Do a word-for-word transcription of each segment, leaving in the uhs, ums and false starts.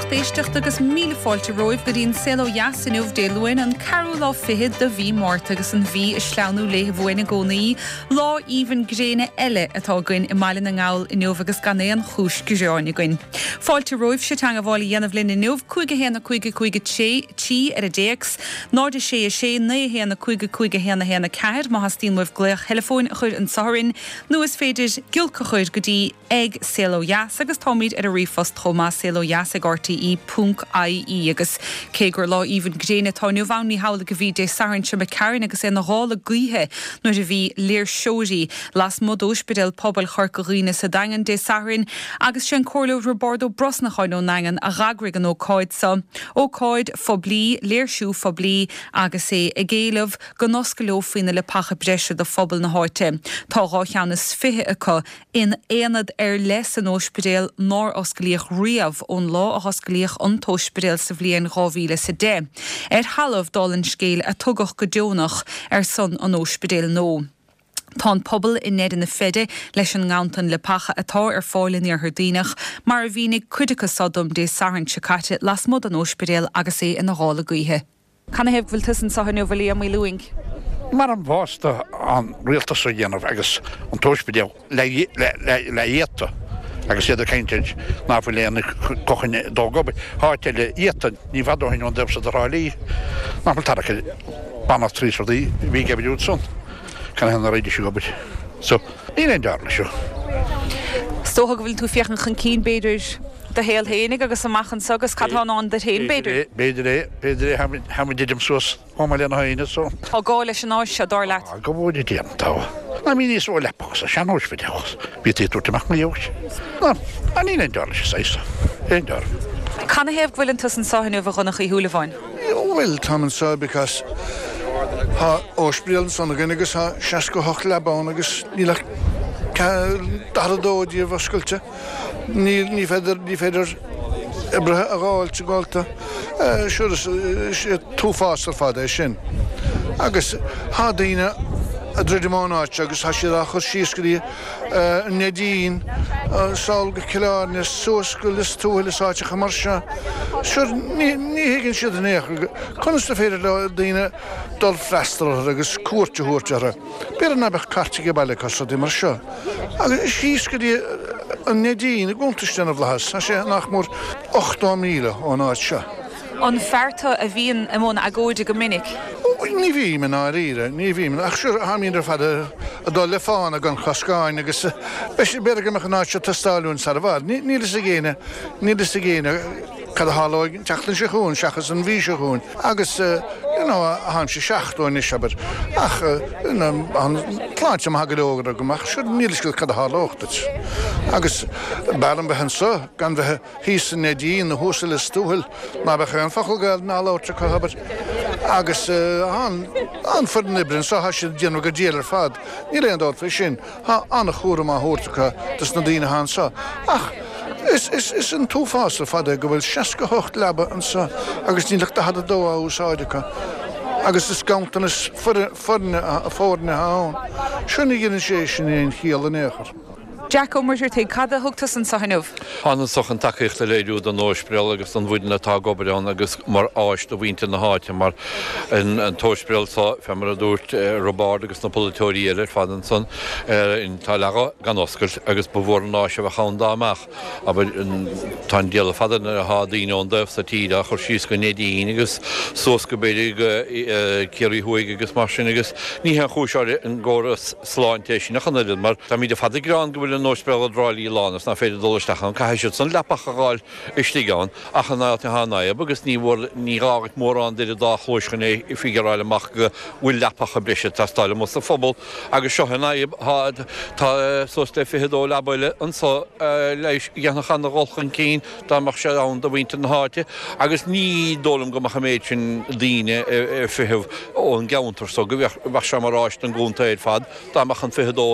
lucht éisteachta agus míle fáilte romhaibh go dtí an Saol Ó Dheas inniu Dé Luain an ceathrú lá fichead de mhí Márta agus an mhí ag sleamhnú léi uainn i gcónaí. Lá aoibhinn gréine eile atá againn i mBaile na nGall inniu agus gan aon chúis gearáin againn. Fáilte romhaibh teagmháil a dhéanamh linn inniu cúig a haon a cúig a cúig a trí trí ar an dtéacs, náid a sé a sé naoi a haon a cúig a cúig a haon a haon a ceathair má theastaíonn uaibh glaoch teileafóin a chur anseo orainn nó is féidir giolc a chur go dtí ag Saol Ó Dheas agus táimid ar an ríomhphost chomh maith saol ó dheas ag RTE ponc IE agus cé gur lá aoibhinn gréine atá inniu ann ní hamhlaidh a bhí Dé Sathairn seo imigh tharainn agus é ina ghála gaoithe nuair a bhí léirseoirí lasmuigh d'Ospidéal Pobail Chorca Dhuibhne sa Daingean Dé Sathairn agus sé an Comhairleoir Roibeárd Ó Brosnacháin ón nDaingean a d'eagraigh an ócáid seo. Ócáid phoiblí, léirsiú phoiblí agus é ag éileamh go n-osclófaí na leapacha breise do phobal na háite. Tá dhá cheann is fiche acu in aonad ar leith san ospidéal nár osclaíodh riamh ón lá a hosclaíodh an t-ospidéal sa bhliain dhá mhíle is a deich. Ar thalamh dála an scéil a tugadh go deonach ar son an ospidéil nua. Tá an pobal i ndeireadh na feide leis an nganntan leapacha atá ar fáil in Iarthar Duibhneach, mar a mhínigh cuid acu seo dom Dé Sathairn seo caite lasmuigh den ospidéal agus é ina ghála gaoithe. Canathaobh go bhfuil tusa anseo inniu a Liam Uí Lúing? Mar an bhásta an rialtas a dhéanamh agus an t-ospidéal le iata agus iad ag caint ná fuil aon cochain dó gob háit eile iata ní bhfad ó shin ón dtaobh seo de Thrá Lí ná fuil tarrac banna trí rudaí bhí ag obair san canathaobh nach raghaidís ag obair. So níl aon dearna seo. Is dócha go bhfuil tú féachaint chun cinn b'fhéidir do shaol féinig agus amach anseo agus cad atá i ndán duit féin b'fhéidir. B'fhéidir é, b'fhéidir é tháimid idim suas chomh maith lena haoine so. Tá gá leis an áis seo dar leat. Go bhfuil déanta. Ná mí níos ó leapach sa seanóispidéal. Bhí tú dúirt amach na dheois. Ná níl aon dearna sé saghas. Aon dearna. Canathaobh go bhfuil tusa anseo inniu a Dhonncha Uí Shúilleabháin? Well, táim anseo because tá ospidéal ansan againn agus tá seasca hocht leaba ann agus níl ach daichead a dó díobh oscailte. Ní ní féidir ní féidir oibrithe a fháilt gálta. Sure is t-uafás ar fad é sin. Agus tá daoine ag druidim ón áit agus tá siad á chur síos go dtí an Neidín, sall go Cill Airne, suas go Lios Tuathail is áiteacha mar seo. Sure ní ní thuigeann siad in aon chor conas is féidir le daoine dul freastal orthu agus cuairt a thabhairt orthu. B'fhéidir ná beadh cairt ag baile acu rudaí mar seo. Agus síos go dtí an Neidín i gContae na bhFlaitheas, tá sé nach mór ochtó míle ón áit seo. An fear tú a bhíonn i mbun agóide go minic? Ní bhím i ndáiríre, ní bhím, ach sure táimid ar fad ag dul le fána gan choscáin agus b'fhéidir go mbeadh an áit seo teastáil uainn sar i bhfad. Níl fhios ag éinne, níl fhios ag éinne cad a tharlóidh an tseachtain seo chugainn seachas an mhí seo chugainn agus you know táimse seachtó anois abair ach you know an tsláinte maith go leor agam ach sure níl fhios agat cad a tharlódh duit. Agus b'fhearr liom bheith anseo gan bheith thíos sa Neidín nó thuas i Lios Tuathail ná beadh aon focal Gaeilge á labhairt acu abair. Agus an an foireann oibre anseo tá siad ag déanamh go diail ar fad. Níl aon dabht faoi sin. Tá an-chúram á thabhairt acu dos na daoine atá anseo. Ach is is is an t-uafás ar fad é go bhfuil seasca hocht leaba anseo agus níl ach daichead a dó á úsáid acu. Agus is ganntanas foirne foirne atá ann. Sure ní dhéanann sé sin aon chiall in aon chor. Jack Ó Muircheartaigh, cad a thug tusa anseo inniu? Thána anseo chun tacaíocht a léiriú don ospidéal agus don bhfoireann atá ag obair ann agus mar áis do mhuintir na háite mar an t-ospidéal seo fé mar a dúirt Roibeárd agus na polaiteoirí eile ar fad ansan tá leath gan oscailt agus ba mhór an áis a bheadh ann dá mbeadh. Abair tá an diabhal fada nuair atá daoine ón dtaobh sa tír á chur síos go Neidín agus suas go b'fhéidir go Ciarraí Thuaidh agus mar sin agus ní haon chúis ar an gcóras sláinte é sin ach an oiread mar táimid ar fad ag gearán go bhfuil an ospidéal i dTrá Lí lán is nach féidir dul isteach ann. Caithfidh siad san leapacha a fháil istigh ann ach an áit atá an fhadhb agus ní bhfuair ní gá dhuit mórán d'idir dá chluais chun é figureáil amach go bhfuil leapacha breise ag teastáil amuigh sa phobal agus seo an fhadhb tá tá suas le fiche dó leaba eile anso leighis a dhéanfadh ana-dhul chun cinn dá mbeadh sé ann do mhuintir na háite agus ní dóigh liom go mbeadh an méid sin daoine ag feitheamh ón gceantar so go bheadh sé mar áis don gcontae ar fad dá mbeadh an fiche dó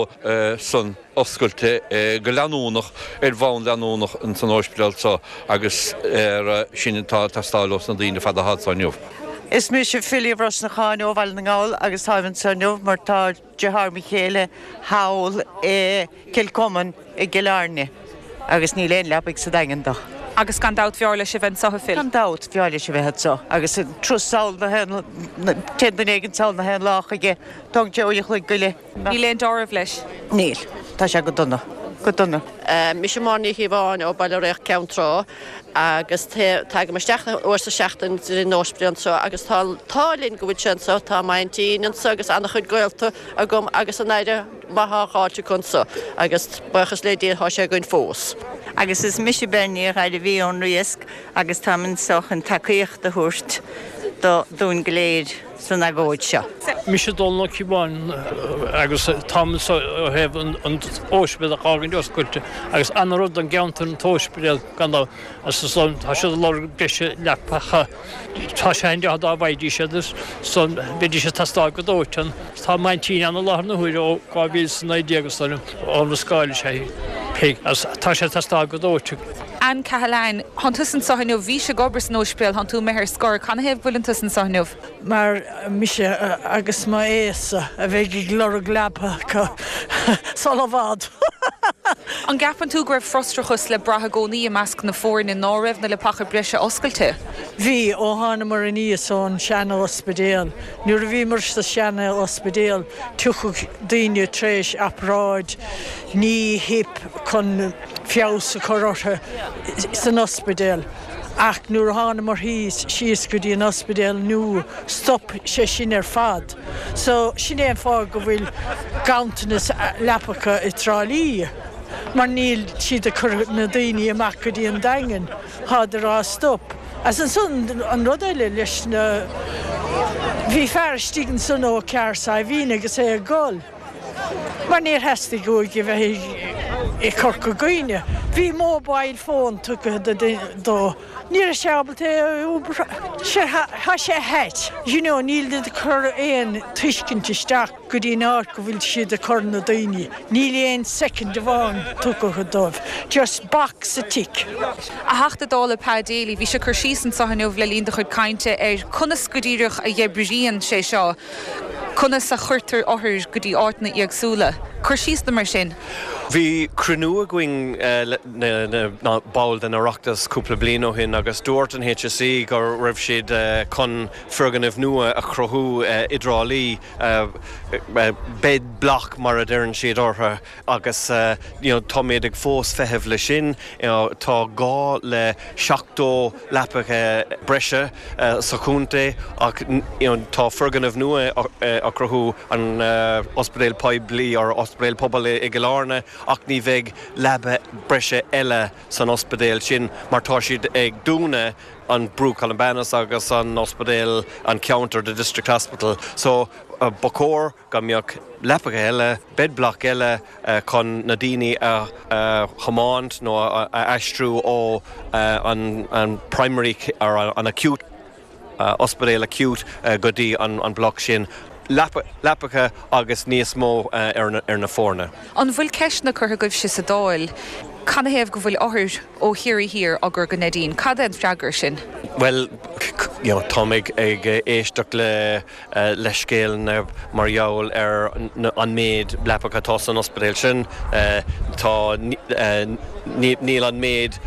san oscailte go leanúnach ar bhonn leanúnach ins an ospidéal so agus ar sin atá ag teastáil ós na daoine ar fad atá anso inniu. Is mise Philly Brosnacháin ó Bhaile na nGall agus táim anseo inniu mar tá deartháir mo chéile thall i Cill Chomáin i gCill Airne agus níl aon leapaidh sa Daingean dó. Agus gan dabht b'fhearr leis a bheith anseo, a Phil. Gan dabht b'fhearr leis a bheith anseo agus turas sall na haon, téann duine éigin sall na haon lá chuige, tógann sé uair a chloig go leith. Níl aon dealramh leis. Níl. Tá sé go dona. Go dona. Mise Máire Ní Chíobháin ó Baile Réach Ceann Trá agus tagaim isteach uair sa seachtain go dtí an ospidéal anseo agus tá an t-ádh linn go bhfuil sé anseo, tá m'aintín anseo agus an-chuid gaolta agam agus an aire maith á fháilt acu anseo agus buíochas le Dia tá sé againn fós. Agus is mise Bernie Ghairbhí ón Riasc agus táim anseo chun tacaíocht a thabhairt do dúinn go léir san agóid seo. Mise Dónal Ó Cíobháin agus táim anseo ó thaobh an t-ospidéal a fhágaint oscailte agus an-rud don gceantar an t-ospidéal gan dabht agus ansan tá siad ag lorg breise leapacha. Tá sé an-deas dá bhfaighidís iad is san bheidís ag teastáil go dóiteán. Tá m'aintín ann i láthair na huaire ó dhá mhíle is a naoi déag is dóigh liom, ón Ros Goill is ea í, Peig, agus tá sé ag teastáil go dóitean. Anne Cahalane, Thánn tusa anseo inniu, bhís ag obair san ospidéal, thánn tú imithe ar scor, canathaobh go bhfuileann tusa anseo inniu? Mar mise agus m'aosa a bheidh ag lorg leapa sula i bhfad. An gceapann tú go raibh frustrachas le brath i gcónaí i measc na foirne ná raibh na leapacha breise oscailte? Bhí, ó thánamar aníos ón seana-ospidéal. Nuair a bhíomar sa seana-ospidéal, tiocfadh daoine tar éis obráid knee, hip chun feabhas a chur orthu san ospidéal. Ach nuair a thánamar thíos, síos go dtí an ospidéal nua, stop sé sin ar fad. So, sin é an fáth go bhfuil ganntanas leapacha i dTrá Lí, mar níl siad ag cur na daoine amach go dtí an Daingean, táid ag rá stop. Agus ansan, an rud eile leis na, bhí fear istigh ansan ó Cearr Saidhbhín agus é ag gol. Mar níor theastaigh uaidh a bheith i Corca Dhuibhne. Bhí mobile phone tugtha dó. Ní raibh sé ábalta é a iompar. Tá sé ait. You know, níl siad ag cur aon tuiscint isteach go dtí an áit go bhfuil siad ag cur na daoine. Níl aon soicind amháin tugtha dóibh. Just box a tick. A Theachta Dála Pa Daly, bhís ag cur síos anseo inniu le linn do chuid cainte ar conas go díreach a oibríonn sé seo. Conas a chuirtear othair go dtí áiteanna éagsúla? Cuir síos dom ar sin. Bhí cruinniú againn le na baill den Oireachtas cúpla bliain ó shin agus dúirt an H S E go raibh siad chun foirgneamh nua a chruthú i dTrá Lí, bed block mar a deireann siad orthu, agus táimid ag fós feitheamh le sin. Tá gá le seachtó leapacha breise sa chontae ach tá foirgneamh nua á chruthú an ospidéal poiblí or ospidéal pobail i gCill Airne ach ní bheidh leaba breise eile san ospidéal sin mar tá siad ag dúnadh an Brú Columbanus agus an ospidéal an ceantar, the district hospital. So ba chóir go mbeadh leapacha eile, bed block eile chun na daoine a thiomáint nó a aistriú ó an primary or an acute ospidéal acute go dtí an block sin. Leapacha agus níos mó ar na foirne. An bhfuil ceisteanna curtha agaibhse sa Dáil canathaobh go bhfuil othair ó Chiarraí Thiar á gcur go Neidín? Cad é an freagra sin? Bhuel, you know, táim ag éisteacht le leithscéal mar gheall ar an méid leapacha atá san ospidéal sin. Tá níl an méid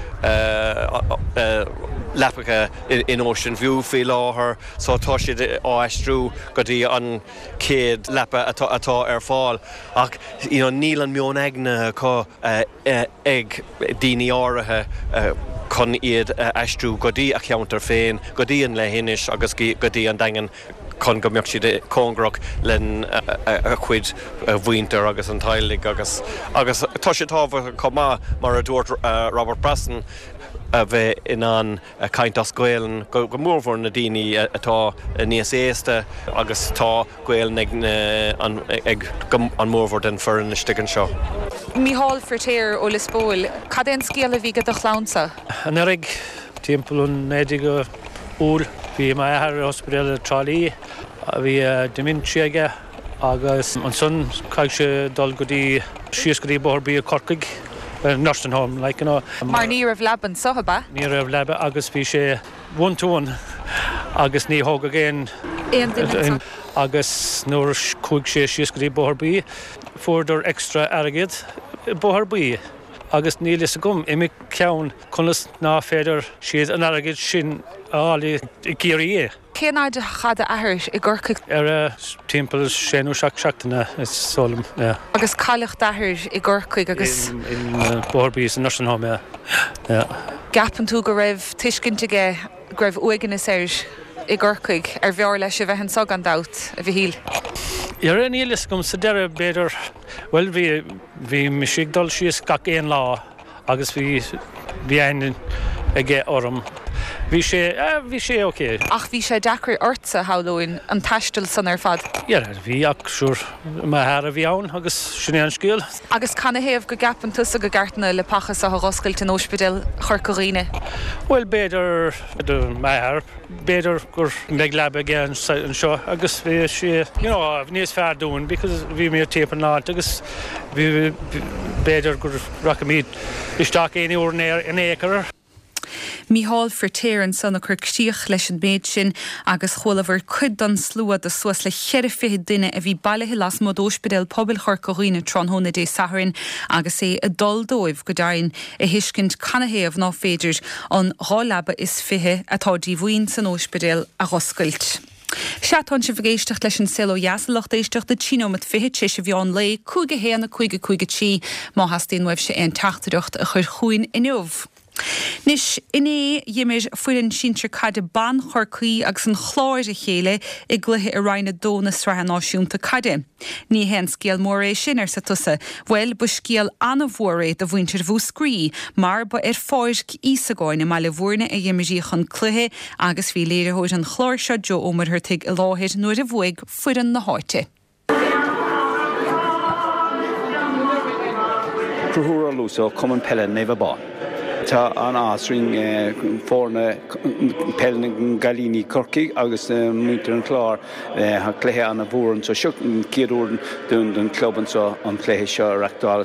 leapacha in Ocean View faoi láthair, so tá siad á aistriú go dtí an chéad leapa atá atá ar fáil. Ach you know, níl an meon aigne acu ag daoine áirithe chun iad a aistriú go dtí a cheantar féin, go dtí an leithinis agus go dtí an Daingean chun go mbeadh siad cóngarach lena gcuid mhuintir agus an teaghlaigh agus agus tá sé tábhachtach chomh maith mar a dúirt Robert Brosnan a bheith in ann caint as Gaelainn go mórmhór na daoine atá níos aosta agus tá Gaelainn ag an ag an mórmhór den foireann istigh anseo. Mícheál Feiritéar ó Lios Póil, cad é an scéal a bhí ag do chlannsa? Anuraidh timpeall an naoú déag Iúil bhí m'athair ar ospidéal i Trá Lí, bhí dementia aige agus ansan caithfidh sé dul go dtí síos go dtí Bóthar Bia Corcaigh, nursing home like you know. Mar ní raibh leaba anseo, ab ea? Ní raibh leaba agus bhí sé one to one agus ní thógadh aon Aon duine agus nuair chuaigh sé síos go dtí Bóthar Bia fuaireadar extra airgead Bóthar Bia. Agus níl fhios agam i mo cheann conas ná féidir siad an airgead sin a fháil i gCiarraí é. Cén fhad a chaith d'athair i gCorcaigh? Ar timpeall sé nó seacht seachtaine is dóigh liom, yeah. Agus cailleadh d'athair i gCorcaigh agus. In Bóthar Buí sa nursing home, yeah. Yeah. Gceapann tú go raibh tuiscint aige go raibh uaigneas air i gCorcaigh, ar bhfearr leis a bheith anseo gan dabht, a Mhichíl? Ar níl fhios agam sa deireadh b'fhéidir, bhuel bhí bhí mise ag dul síos gach aon lá agus bhí bhí aithne aige orm. Bhí sé bhí sé ok. Ach bhí sé deacair ortsa, shamhlóinn, an taisteal san ar fad. Yeah, bhí ach sure m'athair a bhí ann agus sin é an scéal. Agus canathaobh go gceapann tusa go gceart na leapacha seo a dh'oscailt in Ospidéal Chorca Dhuibhne? Bhuel b'fhéidir m'athair, b'fhéidir gur mbeidh leaba aige anseo agus bhí sé you know, níos fearr dúinn because bhí mé timpeall an áit agus bhí b'fhéidir gur rachaimid isteach aon uair in aon chor. Mícheál Firtéar ansan a chuir críoch leis an méid sin agus chualabhar cuid den slua de suas le ceithre fiche duine a bhí bailithe lasmuigh d'Ospidéal Pobail Chorca Dhuibhne tráthnóna Dé Sathairn agus é ag dul dóibh go deimhin a thuiscint canathaobh ná féidir an dhá leaba is fiche atá díomhaoin san ospidéal a dh'oscailt. Sea tánn sibh ag éisteacht leis an Saol Ó Dheas a lucht éisteachta trí nóiméad fiche tar éis an mheán lae, cúig a haon a cúig a cúig a trí má theastaíonn uaibhse aon teachtaireacht a chur chugainn inniu. Anois inné d'imir foireann sinsir caide ban Chorcaí agus an Chláir a chéile i gcluiche i Roinn a dó na Sraithe Náisiúnta Caide. Ní haon scéal mór é sin arsa tusa, bhuel ba scéal an-mhór é do mhuintir Mhúscraí, mar ba ar Pháirc Íosagáin i mBaile Bhúirne a imríodh an cluiche agus bhí léiritheoir an chláir seo Joe Ó Muircheartaigh i láthair nuair a bhuaigh foireann na háite. Conchúr Ó Luasa ó Cumann Peile Naomh Abán. Tá an-áthas orainn foirne peil na gcailíní Corcaigh agus muintir an Chláir. Tá cluiche an-mhór anseo. Seo an chéad uair don chlub anseo an cluiche seo a reachtáil.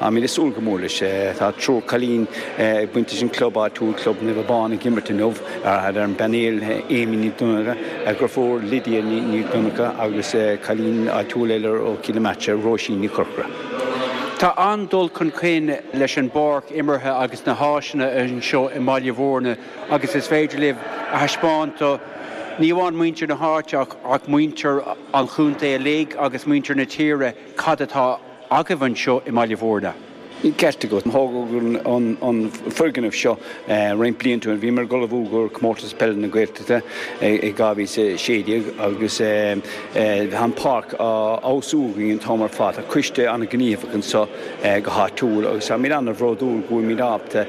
Táimid ag súil go mór leis. Tá triúr cailín ag baint leis an club áitiúil, Club Naomh Abán ag imirt inniu ar an bpainéal, Amy Ní Dhonncha, a deirfiúr Lydia Ní Dhonncha agus cailín áitiúil eile ó Chill na Martra, Róisín Ní Chorcora. Tá an-dul chun cinn leis an bpáirc imeartha agus na háiseanna anseo i mBaile Bhúirne agus is féidir libh a thaispeáint do ní amháin muintir na háite ach muintir an chontae uilig agus muintir na tíre cad atá agaibh anseo i mBaile Bhúirne. Ceart agat. Tógadh an foirgneamh seo roinnt blianta ó shin. Bhíomar ag ullmhú do Chomórtas Peile na Gaeltachta i dhá mhíle is a sé déag agus tá an pháirc á fheabhsú againn an t-am ar fad. Tá coiste an-ghníomhach anseo go háitiúil agus táimid an-bhródúil go bhfuilimid ábalta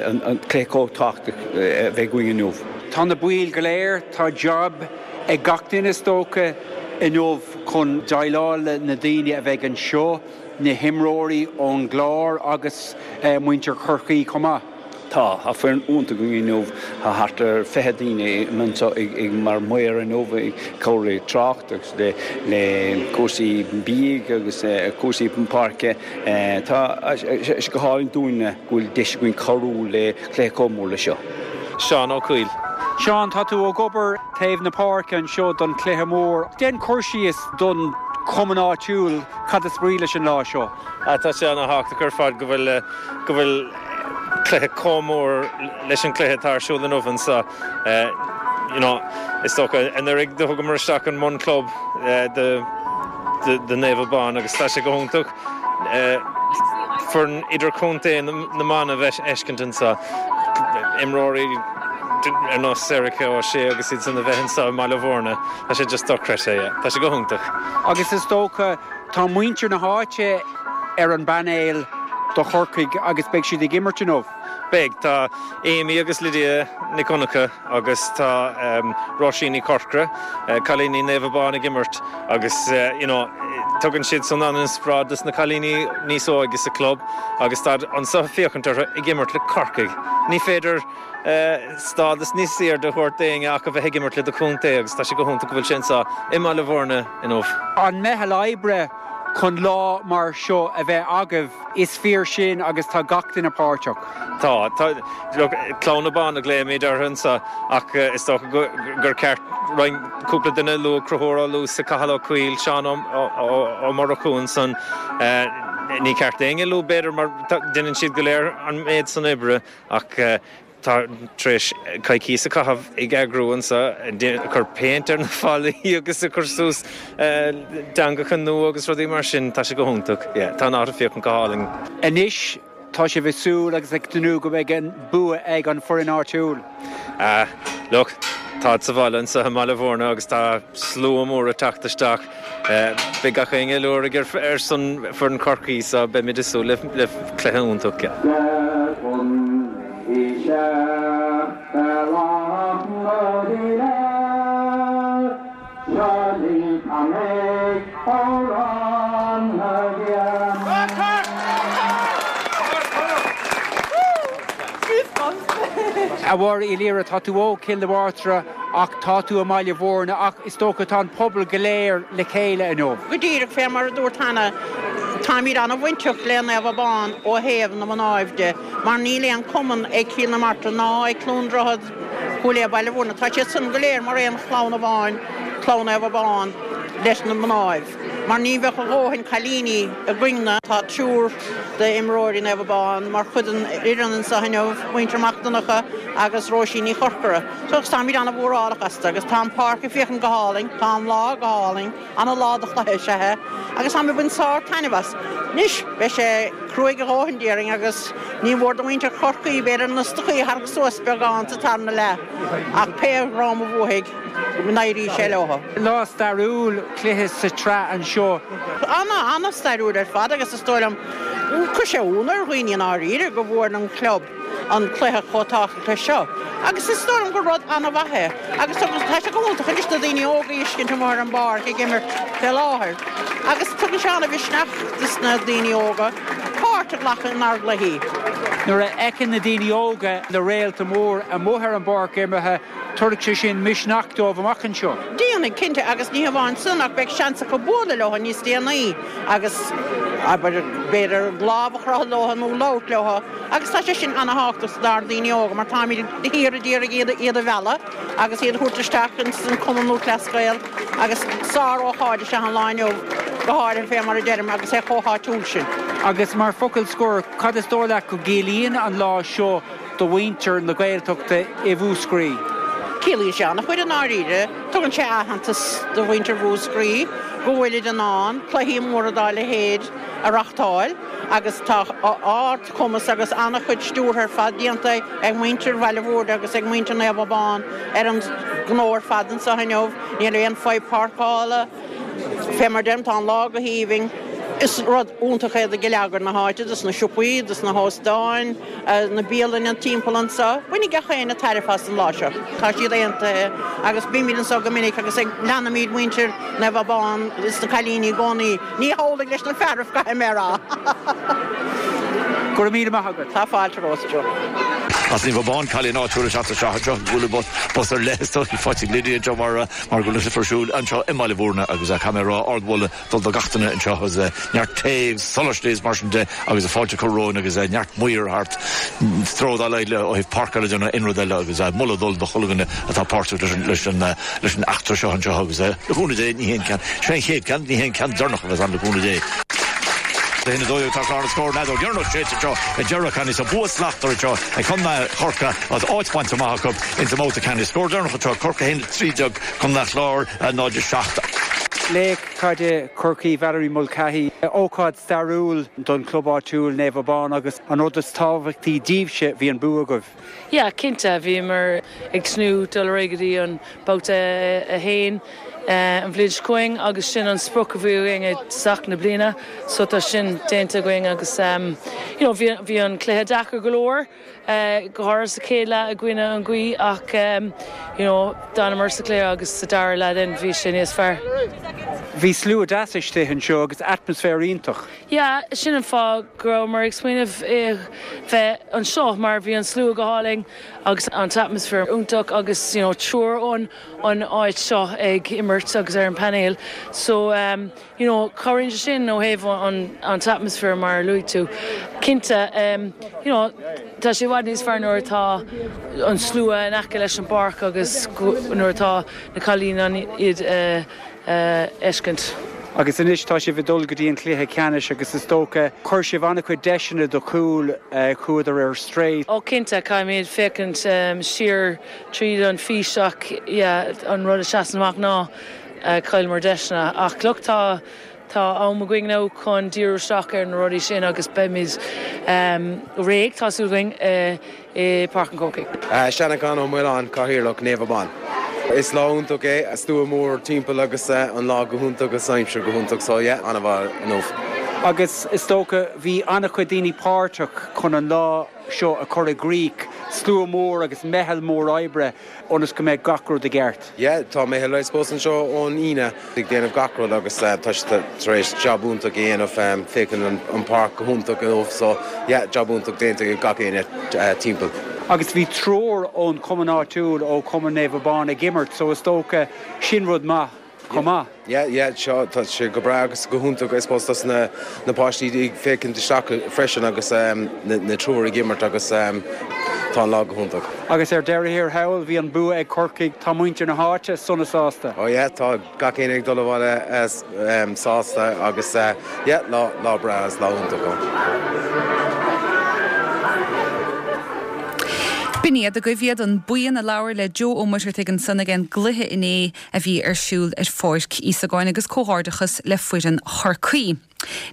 an cluiche chomh tábhachtach a bheith againn inniu. Tá na baill go léir, tá jab ag gach duine is dócha inniu chun déileáil le na daoine a bheidh anseo. na himreoirí ón gClár agus muintir Chorcaí chomh maith. Tá, tá foireann iontach againn inniu, tá thart ar fiche daoine anseo ag mar maor inniu ag cabhrú le trácht agus le le cúrsaí bídh agus cúrsaí páirce. Tá sé go hálainn dúinne go bhfuil deis againn cabhrú le cluiche chomh mór le seo. Seán Ó Cuill. Seán, tá tú ag obair taobh na páirce anseo don chluiche mór. Déan cur síos don chumann áitiúil cad is brí leis an lá seo. Tá sé ana-thábhachtach ar fad go bhfuil go bhfuil cluiche chomh mór leis an cluiche atá ar siúl inniu anseo. You know, is dócha anuraidh do thugamar isteach an mbun-club do do Naomh Abán agus tá sé go hiontach foireann idirchontae na mban a bheith feiscint anseo. Imreoirí ar nós Erica O'Shea agus iad san a bheith anseo i mBaile Bhúirne, tá sé just dochreidte, yeah. Tá sé go hiontach. Agus is dócha, tá muintir na háite ar an bpainéal do Chorcaigh agus beidh siad ag imirt inniu. Beidh. Tá Amy agus Lydia Nic Dhonncha agus tá Róisín Ní Chorcora, cailíní Naomh Abán ag imirt agus you know tugann siad san an-inspioráid dos na cailíní níos óige sa club agus táid anseo ag féachaint orthu ag imirt le Corcaigh. Ní féidir stádas níos airde a thabhairt d'éinne ach a bheith ag imirt le do chontae agus tá sé go hiontach go bhfuil sé anseo i mBaile Bhúirne inniu. An meitheal oibre chun lá mar seo a bheith agaibh, is fíor sin agus tá gach duine páirteach. Tá. Tá. Look, Clann Abán a ghlaoimid orthu anseo ach is dócha gur ceart roinnt, cúpla duine a lua, Conchúr Ó Luasa, Cathal Ó Cuill, Seán Ó Murchú ansan, Ní ceart éinne a lua b'fhéidir mar déanann siad go léir an méid san oibre ach tá tar éis coicís a chaitheamh ag eagrú anseo, ag cur péint ar na fallaí agus ag cur suas teangacha nua agus rudaí mar sin, tá sé go hiontach. Yeah, tá an áit ag féachaint go hálainn. Anois tá sibh ag súil agus ag tnúth go mbeidh an bua ag an foireann áitiúil. Ah, look, táid sa bhaile anseo i mBaile Bhúirne agus tá slua mór ag teacht isteach. Beidh gach éinne ag liúradh ar son foireann Chorcaí so beimid ag súil le cluiche iontach. A Mháire Uí Laoire, tá tú ó Chill na Martra ach tá tú i mBaile Bhúirne ach is dócha tá an pobal go léir le chéile inniu. Go díreach fé mar a dúirt cheana, táimid an-bhainteach le Naomh Abán ó thaobh na mnáibh de mar níl aon cumann ag Cill na Martra ná ag Cluain Droichead, Cúil Aodha Baile Bhúirne. Tá siad san go léir mar aon chlann amháin, clann Naomh Abán leis na mnáibh. Mar ní bheadh a dhóthain cailíní againn-ne. Tá triúr d'imreoirí Naomh Abán mar chuid den fhoireann anseo inniu, muintir Mac Donncha agus Róisín Ní Chorcora. So agus táimid an-mhórálach astu agus tá an páirc ag féachaint go hálainn, tá an lá go hálainn, ana-lá do chluiche is ea é agus táimid ag baint sár-taitneamh as. Anois, beidh sé cruaidh a dhóthain déarfainn agus ní mór do mhuintir Chorcaí b'fhéidir na stocaí a tharrac suas beagán sa tarna leath ach pé dhream a bhuafaidh, go n-éirí sé leo. Lá stairiúil, cluiche sa tsraith anseo. Ana, ana-stairiúil ar fad agus is dóigh liom, chuir sé ionadh ar dhaoine i ndáiríre go bhfuair an club an cluiche chomh tábhachtach leis seo agus is dóigh liom gur rud ana-mhaith é agus tá sé go hiontach anois na daoine óga a fheiscint amuigh ar an bpáirc ag imirt fé láthair agus tugann sé ana-mhisneach dos na daoine óga páirt a ghlacadh inár gcluichí. Nuair a fheiceann na daoine óga na réalta mór amuigh ar an bpáirc imeartha, Tabharfaidh sé sin misneach dóibh amach anseo. Déanfaidh, cinnte, agus ní hamháin san ach beidh seans acu bualadh leo níos déanaí agus, abair, b'fhéidir lámh a chroitheadh leo nó labhairt leo agus tá sé sin ana-thábhachtach dár ndaoine óga mar táimid de shíor ag iarraidh iad, iad a mhealladh agus iad a thabhairt isteach ins an Cumann Lúthchleas Gael agus sár-ócáid is ea an lá inniu, go háirithe fé mar a deirim agus é chomh háitiúil sin. Agus mar focal scoir, cad is dóigh leat go gciallaíonn an lá seo do mhuintir na Gaeltachta i Mhúscraí. Ciallaíonn sé an-chuid i ndáiríre. Tugann sé aitheantas do mhuintir Mhúscraí go bhfuilid in ann cluichí móra dá leithéid a reachtáil agus tá ard-chumas agus an-chuid stiúrtha ar fad déanta ag muintir Bhaile Bhúirne agus ag muintir Naomh Abán ar an ngnó ar fad anseo inniu. Níl aon fadhb páirceála. Fé mar deirim, tá an lá go haoibhinn. Is rud iontach é do gheilleagar na háite, dos na siopaí, dos na hóstáin, na bialanna timpeall anseo. Bainfidh gach éinne tairbhe as an lá seo. Tá siad aontaithe agus bímid anseo go minic agus ag leanaimid muintir Naomh Abán is na cailíní i gcónaí. Ní hamhlaidh leis na fearaibh, caithfidh mé a rá. Go raibh míle maith agat. Tá fáilte romhat, Joe. As Naomh Abán, cailín áitiúil ag teacht isteach anseo, bualadh bos ar leith is dóigh, faighte ag Lydia anseo mar mar go bhfuil an cluiche ar siúl anseo i mBaile Bhúirne agus caithfidh mé a rá ardmholadh dul do gach duine anseo agus neart tae agus solais is mar sin de agus fáilte curtha romhainn agus neart maor thart stró dá laghad le ó thaobh páirceála de nó aon rud eile agus moladh dul do chuile dhuine atá páirteach leis an leis an leis an eachtra seo anseo agus le cúnamh Dé ní hé an ceann sé an chéad ceann ní hé an ceann deireanach a bheas ann le cúnamh Dé. A haon a dó dhéag tá clár na scór an fheadóg dheireanach séidte anseo ag deireadh ceannais tá bua slachtmhar anseo ag Contae Chorcaí agus áit bainte amach acu ins an mbabhta ceannais. Scór deireanach anseo Corcaigh a haon a trí déag Contae an Chláir náid a seacht. Laoch caide Chorcaí Valerie Mulcahy, ócáid stairiúil don chlub áitiúil Naomh Abán agus an rud is tábhachtaí daoibhse, bhí an bua agaibh. Yeah, cinnte, bhíomar ag tnúth dul ar aghaidh go dtí an babhta a haon an bhliain seo chugainn agus sin an sprioc a bhí againn i dtosach na bliana so tá sin déanta againn agus you know bhí bhí an cluiche deacair go leor go háirithe sa chéad leath i gcoinne an ghaoth ach you know d'fhanamar sa chluiche agus sa dara leath then bhí sé níos fearr. Bhí slua deas istigh anseo agus atmaisféar iontach. Yeah, sin an fáth go rabhamar ag smaoineamh bheith anseo mar bhí an slua go hálainn agus an t-atmaisféar iontach agus you know triúr ón an áit seo ag imirt agus ar an painéal so you know cabhraíonn sé sin ó thaobh an an t-atmaisféar mar a luaigh tú. Cinnte you know tá sé i bhfad níos fearr nuair atá an slua in aice leis an bpáirc agus nuair atá na cailíní in ann iad a fheiscint. Agus anois tá sibh ag dul go dtí an cluiche ceannais agus is dócha chuir sibh an-chuid deiseanna do chúil chuadar ar strae. Ó cinnte caithfimid féachaint siar tríd an fís ach yeah an rud a seasann amach ná chailleamar deiseanna ach look tá tá am againn now chun díriú isteach ar na rudaí sin agus beimid réidh tá súil againn i Páirc an Chrócaigh. Seanachán Ó Maoláin, Cathaoirleach Naomh Abán. Is lá iontach é, slua mór timpeall agus an lá go hiontach agus aimsir go hiontach so yeah, an-mhaith inniu. Agus is dócha bhí an-chuid daoine páirteach chun an lá seo a chur i gcrích, slua mór agus meitheal mór oibre ionas go mbeidh gach rud i gceart. Yeah, tá meitheal I suppose anseo ón Aoine ag déanamh gach rud agus tá siad tar éis jab iontach a dhéanamh, féachann an páirc go hiontach inniu so yeah, jab iontach déanta ag gach éinne timpeall. Agus bhí triúr ón chumann áitiúil ó Chumann Naomh Abán ag imirt so is dócha sin rud maith chomh maith. Yeah, yeah, seo tá sé go breá agus go hiontach I suppose dos na na páistí ag féachaint isteach freisin agus na na triúr ag imirt agus tá an lá go hiontach. Agus ar deireadh thiar thall bhí an bua ag Corcaigh, tá muintir na háite sona sásta. Oh yeah, tá gach éinne ag dul abhaile sásta agus yeah, lá lá breá is lá iontach ann. B'in iad agaibh iad an buíon a labhair le Joe Ó Muircheartaigh ansan ag an gcluiche inné a bhí ar siúl ar Pháirc Íosagáin agus comhghairdeachas le foireann Chorcaí.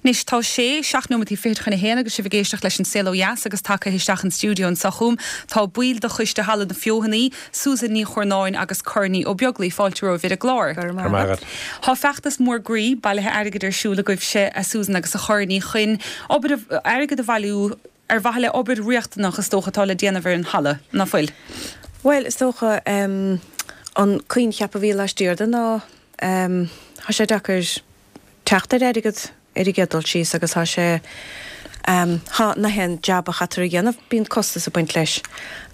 Anois tá sé seacht nóiméad fichead chun a haon agus sibh ag éisteacht leis an Saol Ó Dheas agus tagtha isteach an stiúideo anseo chugam tá baill de choiste Halla na Feothanaí, Susan Ní Churnáin agus Corny Ó Beaglaoi fáilte romhaibh ar an gclár. Tá feachtas mór groí bailithe airgid ar siúl agaibhse a Susan agus a Chorny chun obair airgead a bhailiú ar mhaithe le obair riachtanach is dócha atá le déanamh ar an halla, ná fuil? Bhuel, is dócha um, an coincheap a bhí laistiar de ná um, tá sé deacair teacht ar airgead ar an gcéad dul síos agus tá sé um, tá na haon jab a chaithfear a dhéanamh bíonn costas ag baint leis.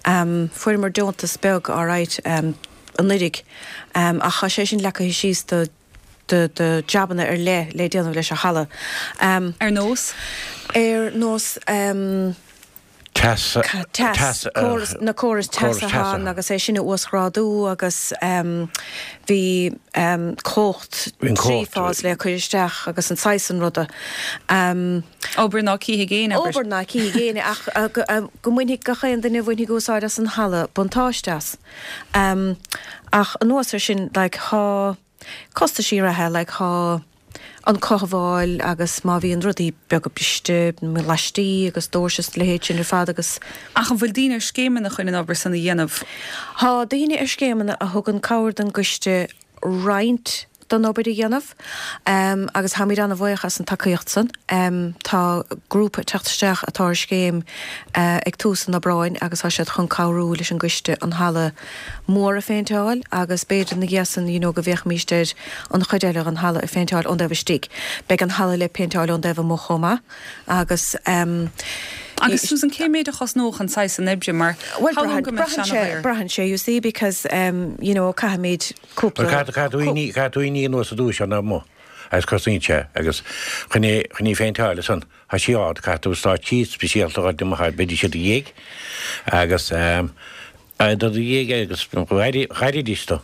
Um, Fuaireamar deontas beag alright um, anuraidh um, ach tá sé sin leagtha síos do de de jabanna ar leith le déanamh leis an halla. Um, ar nós? Ar nós um, Teas teas córas na córas teasa agus é sin a uasghrádú agus um, bhí um, cumhacht trí phase le cur isteach agus an saghas sin ruda. Um, Obair ná cífidh éinne Obair ná cífidh éinne ach go mbainfidh gach aon duine a bhainfidh úsáid as an halla buntáiste as. Um, ach anuas ar sin like, tá costaisí reatha like, tá an cothabháil agus má bhíonn rudaí beaga briste laistí agus doirse is leithéid sin ar fad agus. Ach an bhfuil daoine ar scéimeanna chun an obair san a dhéanamh? Tá daoine ar scéimeanna a thugann cabhair don gcoiste roinnt don obair a dhéanamh um, agus táimid an-bhuíoch as an tacaíocht san. Um, tá grúpa teacht isteach atá ar scéim uh, ag tús an Aibreáin agus tá siad chun cabhrú leis an gcoiste an halla mór a phéinteáil agus b'fhéidir na gheasan you know, go bhféachfaimid ar an chuid eile an halla a phéinteáil ón dtaobh istigh. Beidh an halla le péinteáil ón dtaobh amuigh chomh maith agus um, Agus Susan cé méid a chosnódh an saghas san oibre mar Well, braitheann sé you see because um, you know caithfimid cúpla Caithfidh tú í anuas a dúis an amuigh agus cosnaíonn sé agus chun é chun í phéinteáil san tá sí ard caithfidh tú stáitsí speisialta a fháil b'fhéidir sé do dhéag agus um, do do dhéag agus ghairfidís tú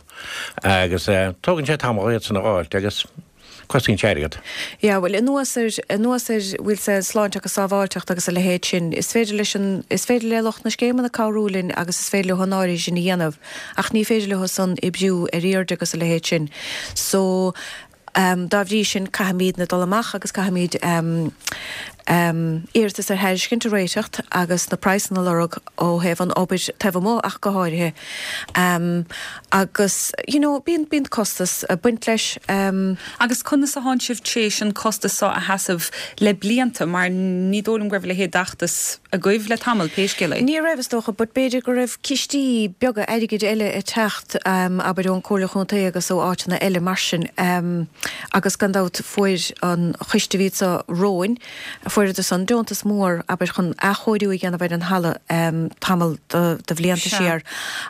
agus tógann sé tamall iad san a fháilt agus Cosnaíonn sé airgead. Yeah, well, anuas ar anuas ar bhfuil sé sláinte agus sábháilteacht agus a leithéid sin, is féidir leis an is féidir le lucht na scéimeanna cabhrú linn agus is féidir leo an áirithe sin a dhéanamh, ach ní féidir leo san oibriú ar airde agus a leithéid sin. So um, dá bhrí sin caithfimidne dul amach agus caithfimid um, um, iarratas ar thairiscint a réiteacht agus na praghsanna a lorg ó thaobh an obair taobh amuigh ach go háirithe. Um, agus you know, bíonn bíonn costas ag baint leis. Um, agus conas a thánn sibh tréis an costas seo a sheasamh le blianta mar ní dóigh liom go raibh a leithéid d'fheachtas agaibh le tamall pé scéal é. Ní raibh is dócha, but b'fhéidir go raibh cistí beaga airgid eile ag teacht um, abair ón Comhairle Chontae agus ó áiteanna eile mar sin um, agus gan dabht fuair an choiste a bhí anseo romhainn fuaireadar san deontas mór abair chun athchóiriú a dhéanamh ar an halla um, tamall de, de bhlianta siar.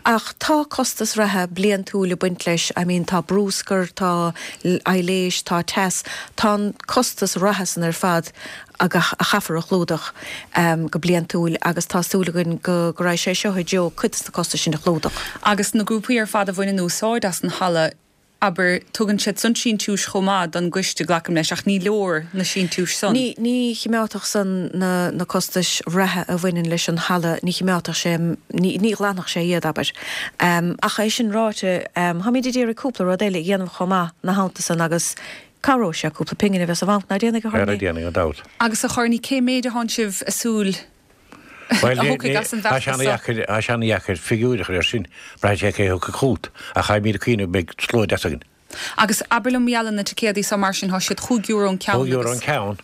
Ach tá costas reatha bliantúil ag baint leis, I mean, tá bruscar, tá aibhléis, tá teas, tá an costas reatha san ar fad a chaithfear a chlúdach um, go bliantúil agus tá súil againn go go raibh sé seo i dtreo cuid de na costais sin a chlúdach. Agus na grúpaí ar fad a bhaineann úsáid as an halla abair, tugann siad san síntiúis chomh maith don gcoiste, glacaim leis, ach ní leor na síntiúis san. Ní, ní chimeádfadh san na, na costais reatha a bhaineann leis an halla, ní chimeádfadh sé, ní, ní ghlanfadh sé iad, abair. Ach é sin ráite, táimid ag iarraidh cúpla rud eile a dhéanamh chomh maith ina theannta san agus cabhróidh sé cúpla pingin a bheith sa bhanc, ná déanfaidh, a Chorny? Ara déanfaidh, gan dabht. Agus a Chorny, cé méid atánn sibh ag súil Bhuel, a thiocfaidh as an tá sé bhfeachtas seo? ana-dheacair, tá sé ana-dheacair figiúir a chur air sin, braitheann sé cé a thiocfaidh chugat, ach táimid ag cuimhneamh go mbeidh slua deas againn. Agus abair liom mar gheall ar na ticéadaí so mar sin, tá siad chúig euro an ceann Cúig euro agus. an ceann.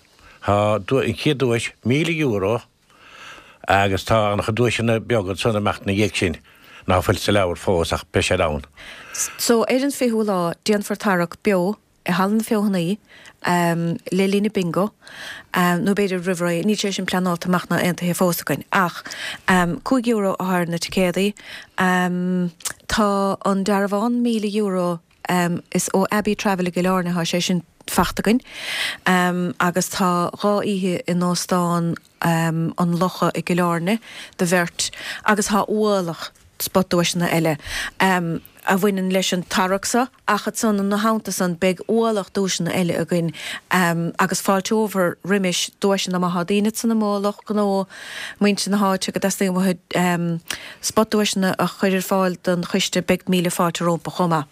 Tá an chéad duais míle euro agus tá an-chuid duaiseanna beaga ansan ag imeacht ina dhiaidh sin ná fuil sa leabhar fós ach beidh siad ann. So ar an fichiú lá déanfar tarrac beo i Halla na Feothanaí le linn an bingo, nó b'fhéidir roimh ré, níl sé sin pleanáilte amach ná aontaithe fós againn, ach cúig euro atá ar na ticéadaí. Tá an dearbhán míle euro, is ó Abbey Travel i gCill Airne atá sé sin fachta againn, agus tá dhá oíche in Óstán an Locha i gCill Airne do bheirt agus tá ualach spotduaiseanna eile a bhaineann leis an tarrac seo ach ansan ina theannta san beidh ualach duaiseanna eile againn agus fáilteofar roimis duaiseanna má thá daoine ansan amuigh, lucht gnó, muintir na háite go dteastaíonn uathu spotduaiseanna a chur ar fáil don choiste beidh míle fáilte rompu chomh maith.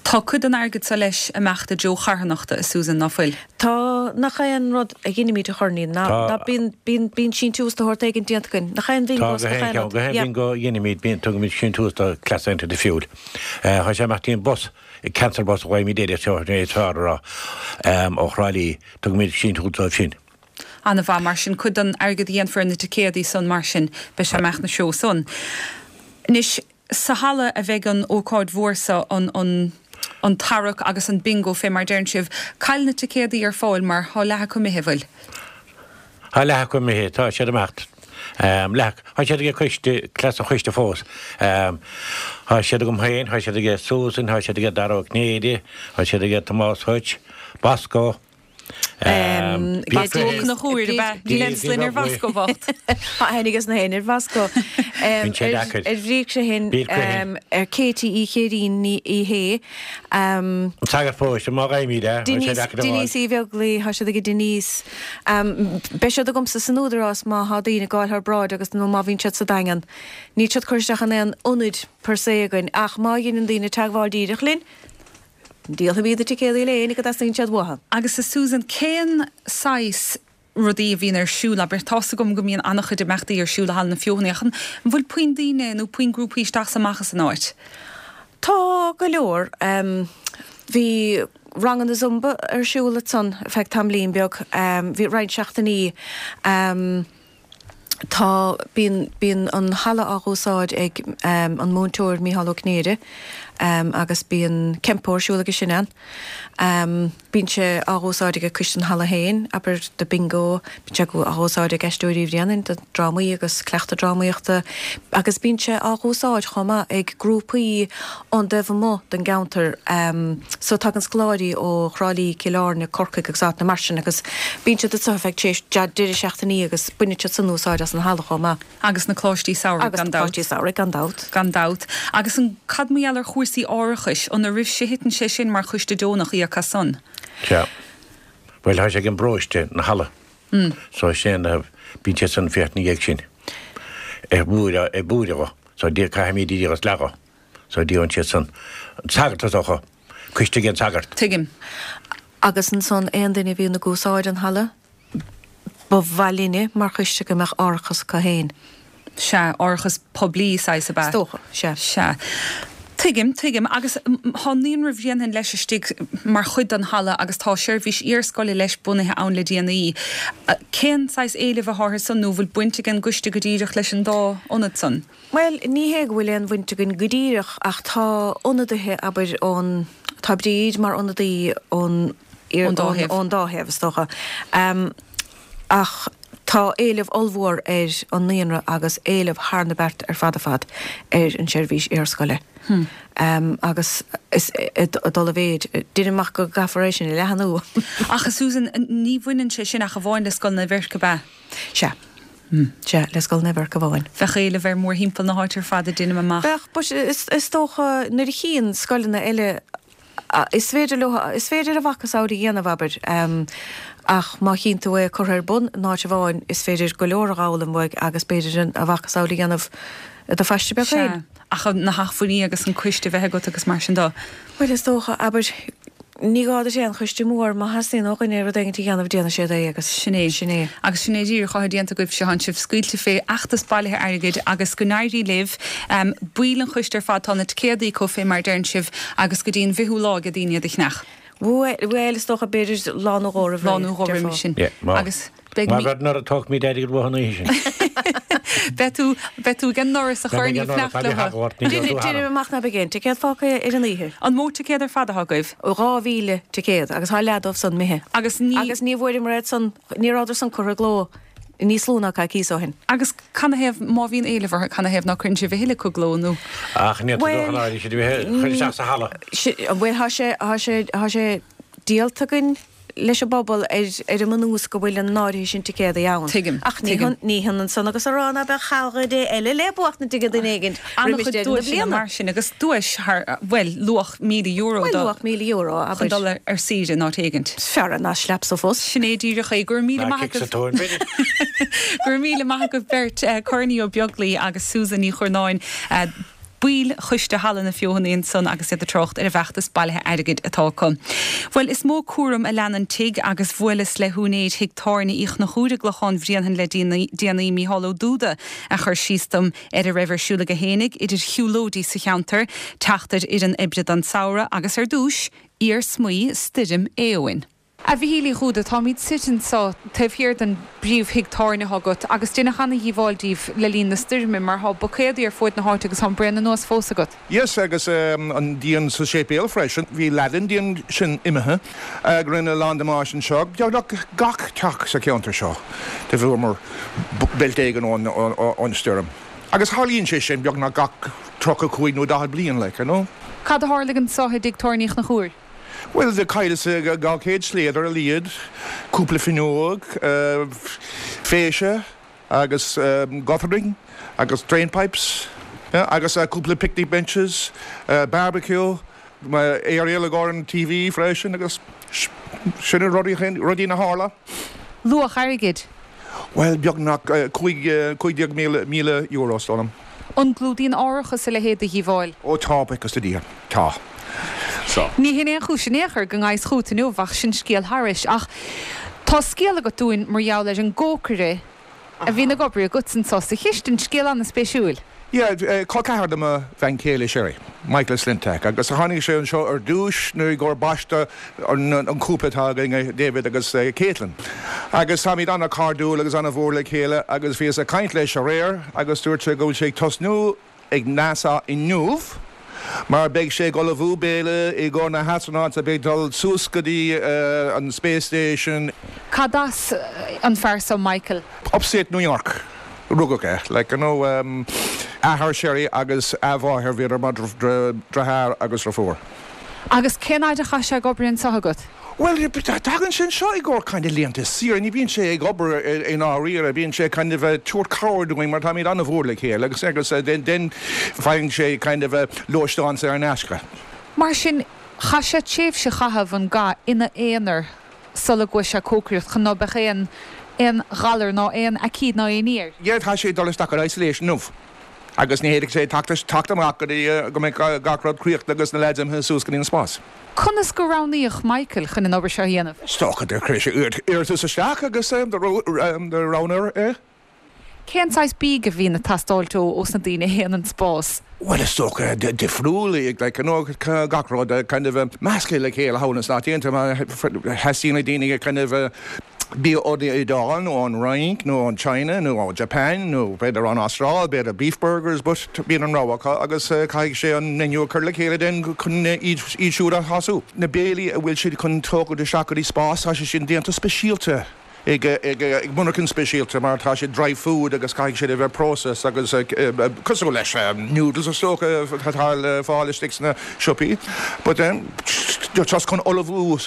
Tá cuid den airgead seo leis ag imeacht i dtreo charthanachta, a Susan, ná fuil? Tá, nach é an rud a dheinimid a Chorny, ná, ná bíonn, bíonn, bíonn síntiús de shórt éigin déanta againn, nach é an Tá, go haon cheann, go haon bingo a dheinimid, bíonn, tugaimid síntiús do Cleas Aontaithe Fiúil. Tá sé ag imeacht dtí an bus, Cancer Bus a ghlaoimid air, is fearr a rá, ó Thrá Lí, tugaimid síntiús dóibh sin. Ana-mhaith, mar sin, cuid den airgead a dhéanfar ar na ticéadaí san, mar sin, beidh sé ag imeacht ina threo san. Anois, sa halla a bheidh an ócáid mhór so, an, an, an tarrac agus an bingo, fé mar deireann sibh. Cá bhfuil na ticéadaí ar fáil mar thá leath acu imithe, bhfuil? Thá leath acu imithe, tá siad ag imeacht. Leath, thá siad aige coiste, cleas an choiste fós. Thá siad agam féin, thá siad aige Susan, thá siad aige Dara Ó Cinnéide, thá siad aige Tomás Hutch, Bosco. Bhí Ó Conchúir, ab ea? Níl aon sloinne ar Bhosco bocht. Tá aithne aige na héinne ar Bhosco. Bíonn sé deacair. Ar Bhrígse shin, ar Katie Uí Chéirín Ní Uí Shé. An sagart paróiste, má gheibhimid é, bíonn sé deacair a fháil. Denise Uí Bheaglaoi, tá siad aige Denise. Beidh siad agamsa san Údarás má thá daoine ag gabháil thar bráid agus nó má bhíonn siad sa Daingean. Níl siad curtha isteach in aon ionaid per se againn ach má dheineann daoine teagmháil díreach linn, Díolfaimid na ticéadaí le éinne go dteastaíonn siad uathu. Agus a Susan, cén saghas rudaí a bhíonn ar siúl, abair, tá's agam go mbíonn an-chuid imeachtaí ar siúl i Halla na Feothanaí, ach an bhfuil puinn daoine nó puinn grúpaí isteach 's amach as an áit? Tá go leor. Bhí ranganna Zumba ar siúl ansan ar feadh tamaillín beag, bhí roinnt seachtainí. Tá, bíonn, bíonn an halla á dh'úsáid ag an múinteoir Mícheál Ó Cinnéide agus bíonn Kenpo ar siúl aige sin ann. Bíonn sé á dh'úsáid ag Coiste an Halla féin, abair, do bingo, bíonn sé á dh'úsáid ag Aisteoirí Uí Bhréanainn do drámaí agus cleachtadh drámaíochta agus bíonn sé á dh'úsáid chomh maith ag grúpaí ón dtaobh amuigh den gceantar. So tagann scoláirí ó Thrá Lí, Cill Airne, Corcaigh agus áiteanna mar sin agus bíonn siad anseo ar feadh tréimhse deireadh seachtainí agus baineann siad san úsáid as an halla chomh maith. Agus na coláistí samhraidh, gan dabht. Agus na coláistí samhraidh, gan dabht. Gan dabht. Agus an, cad mar gheall ar chúrsaí árachais, an oraibhse a thiteann sé sin mar choiste deonach íoc as san? Sea. Bhuel, tá sé ag an bparóiste, na halla. So sin é, bíonn siad san féachaint ina dhiaidh sin. Ag buaireamh, ag buaireamh dho. So caithfimid iad a leagadh. So díolann siad san. An sagart is dócha. Coiste ag an sagart. Tuigim. Agus ansan aon duine a bhíonn ag úsáid an halla, ba mhaith linne mar choiste go mbeadh árachas acu féin. Sea, árachas poiblí saghas ab ea? Is dócha, sea. Sea. Tuigim, tuigim. Agus thá Naíonra Bhréanainn leis istigh mar chuid den halla agus tá seirbhís iarscoile leis bunaithe ann le déanaí. Cén saghas éilimh athá orthu san nó bhfuil baint ag an gcoiste go díreach leis an dá ionad san? Bhuel, ní hé go bhfuil aon bhaint againn go díreach ach tá ionadaithe, abair, ón, tá Bríd mar ionadaí ón, Ón dá thaobh. ón dá thaobh, is dócha. Ach tá éileamh ollmhór ar an naíonra agus éileamh thar na bearta ar fad ar fad ar an tseirbhís iarscoile. Agus is ag dul i mhéid. Deinim amach go gcaithfear é sin a leathnú. Ach a Susan, ní bhaineann sé sin ach amháin le Scoil Naomh Eirc, ab ea? Sea. Sea, le Scoil Naomh Eirc amháin. Bheadh éileamh air mórthimpeall na háite ar fad, deinim amach. Bheadh, but is dócha nuair a chíonn scoileanna eile Is féidir leo, is féidir a mhacasamhail a dhéanamh, abair, ach má chíonn tú é curtha ar bun in áit amháin, is féidir go leor a dh'fhoghlaim uaidh agus b'fhéidir a mhacasamhail a dhéanamh i do phaiste beag féin. Sea, ach na hacmhainní agus an coiste a bheith agat agus mar sin de. Bhuel, is dócha, abair, Ní gá duit aon choiste mór, má theastaíonn ó dhuine rud éigin a dhéanamh, déanfaidh siad é agus sin é. Sin é. Agus sin é díreach atá déanta agaibhse, tánn sibh scaoilte fé fheachtas bailithe airgid agus go n-éirí libh. Baill an choiste ar fad, tá na ticéadaí acu fé mar a deireann sibh agus go dtí an bhfichiú lá ag daoine iad a cheannach. Bhuel, is dócha b'fhéidir lá nó dhó roimh ré. Lá nó dhó roimhe sin. Agus beidh Má bhead nuair a tógfaimid airgead uathu an oíche sin. Beidh tú, beidh tú ag an ndoras a chur ní fanacht leo. Déanaim amach ná beidh aon ticéad fágtha ar an oíche. An mó ticéad ar fad atá agaibh? Dhá mhíle ticéad agus tá leath dóibh san imithe. Agus ní. Agus ní bhfuaireamar iad san, ní rabhadar san curtha i gcló níos lú ná coicís ó shin. Agus canathaobh, má bhíonn éileamh orthu, canathaobh ná cuireann sibh a thuilleadh i gcló nó? Ach ní dócha ná siad a bheith chur isteach sa halla. Bhuel, tá sé, tá sé, tá sé díolta againn leis an bpobal ar ar an mbunús go bhfuil an áirithe sin ticéadaí ann. Tuigim, Ach ní tuigim. ní hionann san agus a rá ná beadh caillte eile le buachtaint ag duine éigin roimis An-chuid deireadh na duaiseanna bliana. mar sin agus duais thar, bhuel, luach míle euro Bhuel, do luach míle euro, chun abair. dul ar saoire in áit éigint. Is fearr ná slap sa phus. Sin é díreach é. Go raibh míle Ná maith cic sa agaibh. tóin, b'fhéidir. Go raibh míle maith agaibh beirt, Corny Ó Beaglaoi agus Susan Ní Churnáin. Baill Choiste Halla na Feothanaí ansan agus iad ag trácht ar an bhfeachtas bailithe airgid atá acu. Bhuel, is mó cúram a lean an tigh agus bhuaileas le húinéir thigh tábhairne Uí Chonchúir i gClochán Bhréanainn le déanaí, Mícheál Ó Dúda, a chuir síos dom ar a raibh ar siúl aige fhéinig, idir shiúlóidí sa cheantar, teacht ar fhoireann oibre don samhradh agus ar dtúis, iarsmaí stoirm Éowyn. A Mhichíl Uí Dhúda, táimid suite anso taobh thiar den bpríomhthigh tábhairne atá agat agus deineadh ana-dhíobháil díbh le linn na stoirme mar thá buicéadaí ar fuaid na háite agus tá an braon anuas fós agat. Yes, agus an díon sa séipéal freisin. Bhí leath den díon sin imithe go rinne a lán damáiste anseo. Beagnach gach teach sa cheantar seo do bhuamar beilt éigin ón stoirm. Agus tharlaíonn sé sin beagnach gach tríocha cúig nó daichead bliain, like, you know. Cad a tharlaigh anso i dtigh tábhairne Uí Chonchúir? Bhuel, do chailleas dhá chéad sléadar ar a laghad, cúpla fuinneog, féise agus guttering agus drain pipes, yeah, agus cúpla picnic benches, barbecue, aerial i gcomhair an TV freisin agus sin na rudaí, rudaí a tharla. Luach airgid? Bhuel, beagnach cúig, cúig déag míle, míle euro, is dóigh liom. An gclúdaíonn árachas a leithéid de dhíobháil? Ó tá, buíochas do Dhia, tá. So. Ní hin aon chúis in aon chor go ngabhas chugat inniu, ach sin scéal thairis. Ach tá scéal agat dúinn mar gheall ar an gcócaire a bhíonn ag obair agat anso sa chistin, scéal an-spéisiúil. Yeah, col ceathar de mo bhean chéile Sherry, Michael Slintak, agus tháinig sé anseo ar dtúis nuair i gcomhair baisteadh an cúpla atá againn, David agus Caitlin. Agus táimid an-chairdiúil agus an-mhór le chéile agus bhíos ag caint leis aréir agus dúirt sé go bhfuil sé ag tosnú ag NASA inniu mar beidh sé ag ullmhú béile i gcomhair na hastronauts a bheidh ag dul suas go dtí an space station. Cad as an fear so, Michael? Upstate New York a rugadh é, like, you know, athair Sherry agus a mháthair, bhíodar mar dheartháir agus deirfiúr. Agus cén fhaid a chaith sé ag obair anso agat? Bhuel, tagann sé anseo i gcomhair kind of laethanta saoire, ní bhíonn sé ag obair i ndáiríre, bíonn sé kind of ag tabhairt cabhair dúinn mar táimid an-mhór le chéile agus agus then faigheann sé kind of lóisteán saor in aisce. Mar sin, chaith sé tréimhse a chaitheamh an ga ina aonar sula gcuaigh sé ag cócaireacht chun ná beadh aon aon ghalar ná aon aicíd ná aon ní air. Yeah, tá sé ag dul isteach ar isolation inniu agus ní fhéadfaidh sé teacht teacht amach go dtí go mbeidh gach rud críochnaithe agus na lads imithe suas go dtí an spás. Conas gur roghnaíodh Michael chun an obair seo a dhéanamh? Is dócha gur chuir sé iarratas isteach agus do roghnaíodh é. Cén saghas bídh a bhíonn ag teastáilt ó ós na daoine a théann an spás? Bhuel, is dócha difriúil, like, you know, gach rud kind of measctha le chéile thall sna Stáit Aontaithe. Theastaíonn le daoine kind of bia ón Iodáil nó ón Fhrainc nó ón China nó ó Japan nó b'fhéidir ón Astráil, b'fhéidir beef burgers, but bíonn an rogha acu agus caithfidh sé an menu a chur le chéile den chun iad siúd a shású. Na béilí a bhfuil siad chun tógáil isteach go dtí spás, tá sé sin déanta speisialta ag ag monarchan speisialta mar tá sé dry food agus caithfidh siad a bheith processed agus cosúil leis noodles is dócha atá le fáil istigh sna siopaí. But just chun ullmhú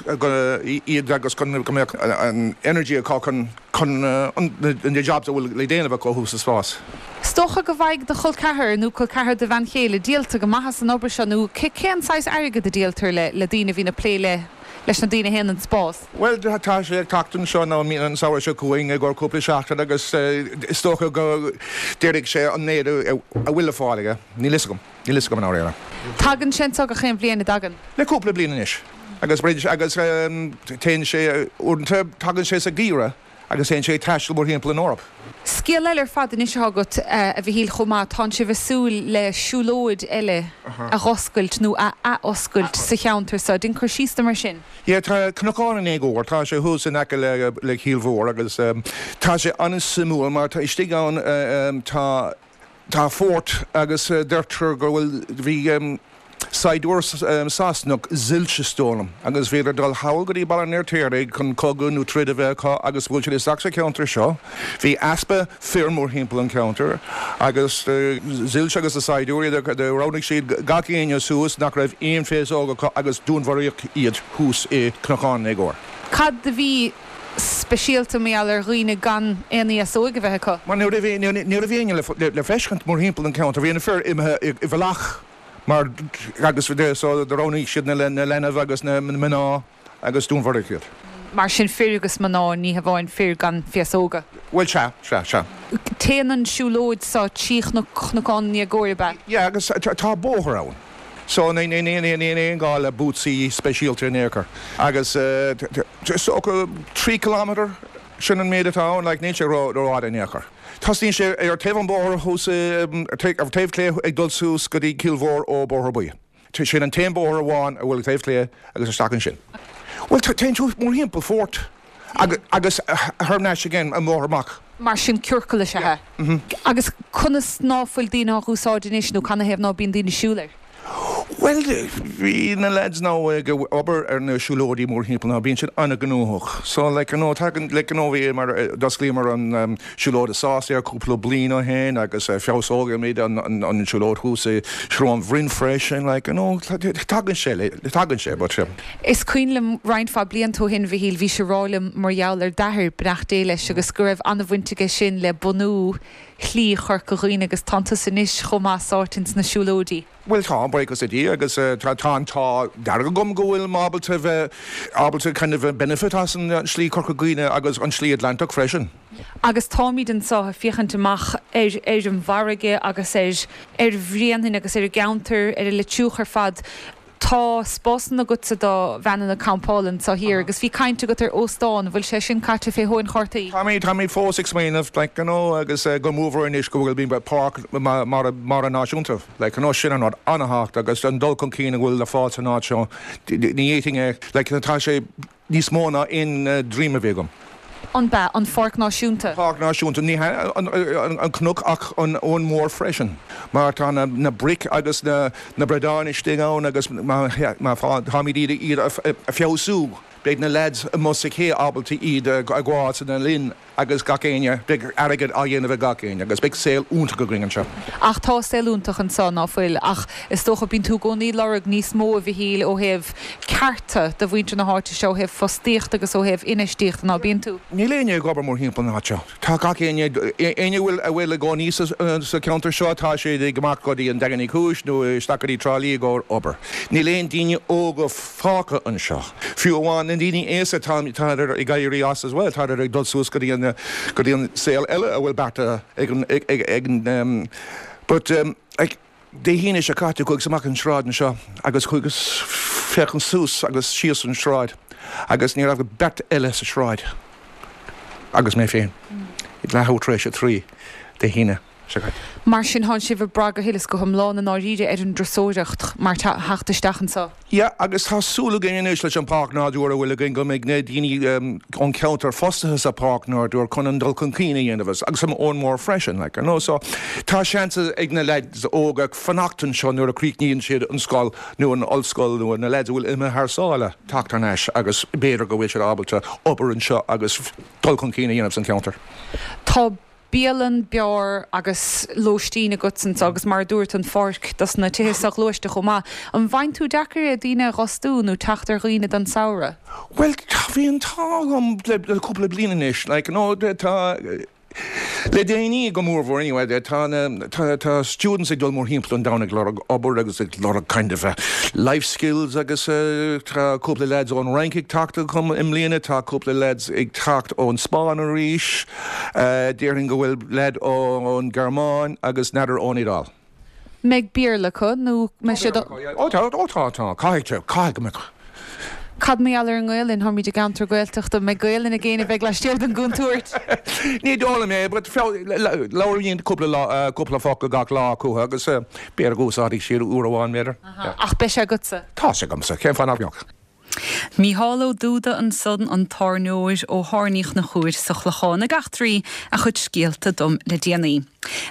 iad agus chun go mbeadh an energy acu chun chun na jobs a bhfuil le déanamh acu thuas sa spás. Is Is dócha go bhfaighidh do chol ceathar nó col ceathar do bhean chéile díolta go maith as an obair seo nó cén saghas airgead a díoltar le le daoine a bhíonn ag plé le leis na daoine a théann an spás? Bhuel tá sé ag teacht anseo nó an samhradh seo chugainn i gcomhair cúpla seachtain agus is dócha go déarfaidh sé an méid a bhfuil le fáil aige. Níl fhios agam. Níl fhios agam i ndáiríre. Tagann sé anseo gach aon bhliain, an dtagann? Le cúpla bliain anois. Agus agus téann sé uaireanta tagann sé sa gheimhreadh agus téann sé ag taisteal mórthimpeall an Eoraip. Scéal eile ar fad anois atá agat, a Mhichíl, chomh maith, tánn sibh ag súil le siúlóid eile a dh'oscailt nó a athoscailt sa cheantar seo. Déan cur síos dom ar sin. Yeah, tá Cnocán an Éagóir, tá sé thuas in aice le le Cill Mhór agus tá sé an-suimiúil mar tá istigh ann tá tá fort agus deirtear go bhfuil bhí Saighdiúir Sasanach zilch is dóigh liom, agus bhíodar ag dul thall go dtí Baile an Fheirtéaraigh chun cogadh nó troid a bheith acu agus bhuail siad isteach sa cheantar seo. Bhí easpa fir mórthimpeall an cheantair agus zilch agus na saighdiúirí, do roghnaigh siad gach éinne suas nach raibh aon féasóg acu agus dúnmharaíodh iad thuas i gCnocán an Éagóir. Cad a bhí speisialta mar gheall ar dhaoine gan aon fhéasóig a bheith acu? Mar ní raibh éinne le feiscint mórthimpeall an cheantair, bhí na fir imithe i bhfolach. Mar agus so do roghnaigh siad na leanbh agus na mná agus dúnmharaíodh iad. Mar sin fir agus mná, ní hamháin fir gan féasóga. Bhuel sea, sea, sea. Téann an siúlóid seo trí Chnocán an Éagóir, ab ea? Yeah, agus tá bóthar ann. So ní aon gá le bútsaí speisialta in aon chor. Agus is dócha trí kilometre, sin an méid atá ann, like níl sé rófhada in aon chor. Tosnaíonn sé ar taobh an bhóthair thuas, ar taobh clé ag dul suas go dtí Cill Mhór ó Bóthar Buí. Sin an t-aon bóthar amháin a bhfuil taobh clé agus isteach ansin. Bhuel, téann tú mórthimpeall fort agus thar n-ais again an bóthar amach. Mar sin ciorcal is ea é. Agus conas ná fuil daoine á úsáid anois nó canathaobh ná bíonn daoine ag siúl air? Bhuel, bhí na lads now ag obair ar na siúlóidí mórthimpeall now, bíonn siad an-ghnóthach. So, like, you know, tagann, like, you know, bhí mar, d'osclaíomar an siúlóid i Sásair cúpla bliain ó shin agus feabhsóimid an, an, an siúlóid thuas i Srón Bhroin freisin, like, you know, tagann sé, tagann sé, but. Is cuimhin liom roinnt mhaith blianta ó shin, Mhichíl, bhís ag rá liom mar gheall ar d'athair, beannacht Dé leis, agus go raibh an-bhaint aige sin le bunú Shlí Chorca Dhuibhne agus tánn tusa anois chomh maith sáite ins na siúlóidí. Bhuel tá, buíochas le Dia, agus tá an t-ádh dearg agam go bhfuil mé ábalta bheith ábalta kind of benefit as an Slí Chorca Dhuibhne agus an Slí Atlantach freisin. Agus táimid anseo ag féachaint amach ar ar an bhfarraige agus ar ar Bhréanainn agus ar an gceantar, ar an Leitriúch ar fad. Tá spásanna agatsa do veaineanna campála anseo thiar agus bhí caint agat ar óstán, an bhfuil sé sin caite fé thóin chártaí? Táimid, táimid fós ag smaoineamh, like, you know, agus go mórmhór anois go bhfuil bíonn páirc mara, mara náisiúnta, like, you know, sin an rud an-thábhachtach agus an dul chun cinn a bhfuil le fáil san áit seo, ní fhéadfainn é, like, tá sé níos mó ná aon dream a bhí agam. An b'ea an Pháirc Náisiúnta? Páirc Náisiúnta, ní hea an cnoc ach an abhainn mhór freisin, mar tá na bric agus na bradáin istigh ann agus má táimid iad a feabhsú, beidh na leaids amuigh sa ché ábalta iad a ghabháil sna linn agus gach éinne, beidh airgead á dhéanamh ag gach éinne agus beidh saol iontach againn anseo. Ach tá saol iontach anseo, ná fuil? Ach is dócha, bíonn tú i gcónaí ag lorg níos mó, a Mhichíl, ó thaobh cearta do mhuintir na háite seo, ó thaobh fostaíochta agus ó thaobh infheistíochta, ná bíonn tú? Níl éinne ag obair mórthimpeall na háite seo. Tá gach éinne, éinne a bhfuil, a bhfuil i gcónaí sa, sa cheantar seo, tá siad ag imeacht go dtí an Daingean Uí Chúis nó isteach go dtí Trá Lí i gcomhair obair. Níl aon daoine óga fágtha anseo. Fiú amháin na daoine aosta, tá, tádar ag éirí as as well, tádar ag dul suas go dtí an, go dtí an saol eile a bhfuil beartaithe ag an, ag, ag, ag an, but like, Dé hAoine seo caite chuaigh amach an sráid anseo agus chuaigh féachaint suas agus síos an sráid agus ní raibh ach beirt eile sa sráid agus mé féin. Ag leathuair tar éis a trí Dé hAoine seo caite. Mar sin thánn sibh ag brath go huile is go hiomlán i ndáiríre ar an dturasóireacht mar theacht isteach anseo. Yeah, agus tá súil againn anois leis an Páirc Nádúir a bhfuil againn go mbeidh na daoine ón cheantar fostaithe sa Páirc Nádúir chun an dul chun cinn a dhéanamh agus san Abhainn Mhór freisin, like, you know, so tá seans ag na lads óga fanacht anseo nuair a chríochnaíonn siad an scoil nó an ollscoil nó na lads a bhfuil imithe thar sáile teacht thar n-ais agus b'fhéidir go bhfuil siad ábalta obair anseo agus dul chun cinn a dhéanamh san cheantar. Tá bialann, beár agus lóistín agat anseo agus mar a dúirt, an pháirc dos na tithe soghluaiste chomh maith. An bhfaigheann tú deacair é daoine a dh'fhostú nó teacht ar dhaoine don samhradh? Bhuel, bhí an t-ádh agam le cúpla bliain anois, like, you know, tá, Le déanaí go mórmhór anyway, tá tá tá students ag dul mórthimpeall an domhain ag lorg obair agus ag lorg kind of uh, life skills agus uh, tá cúpla lads ón Fhrainc ag teacht chugam i mbliana tá cúpla lads ag teacht ón Spáinn arís, uh, déarfainn go bhfuil lad ón Ghearmáin agus n'fheadar ón Iodáil. Mbeidh Béarla acu nó mbeidh siad Ó tá ó tá tá caithfidh caithfidh go mbeadh. Cad mar gheall ar an nGaelainn táimid i gceantar Gaeltachta mbeidh Gaelainn ag éinne a bheidh laistiar den gcontúirt. Ní dóigh liom é, but labhraíonn cúpla cúpla focal gach lá acu agus b'fhéidir go úsáidfidh siad uair amháin b'fhéidir. Ach beidh sé agatsa. Tá sé agamsa, cén fáth nach mbeadh. Mícheál Ó Dúda ansan an tábhairneoir ó Thábhairne an Chonchúir sa Chlochán ag eachtraí a chuid scéalta dom le déanaí.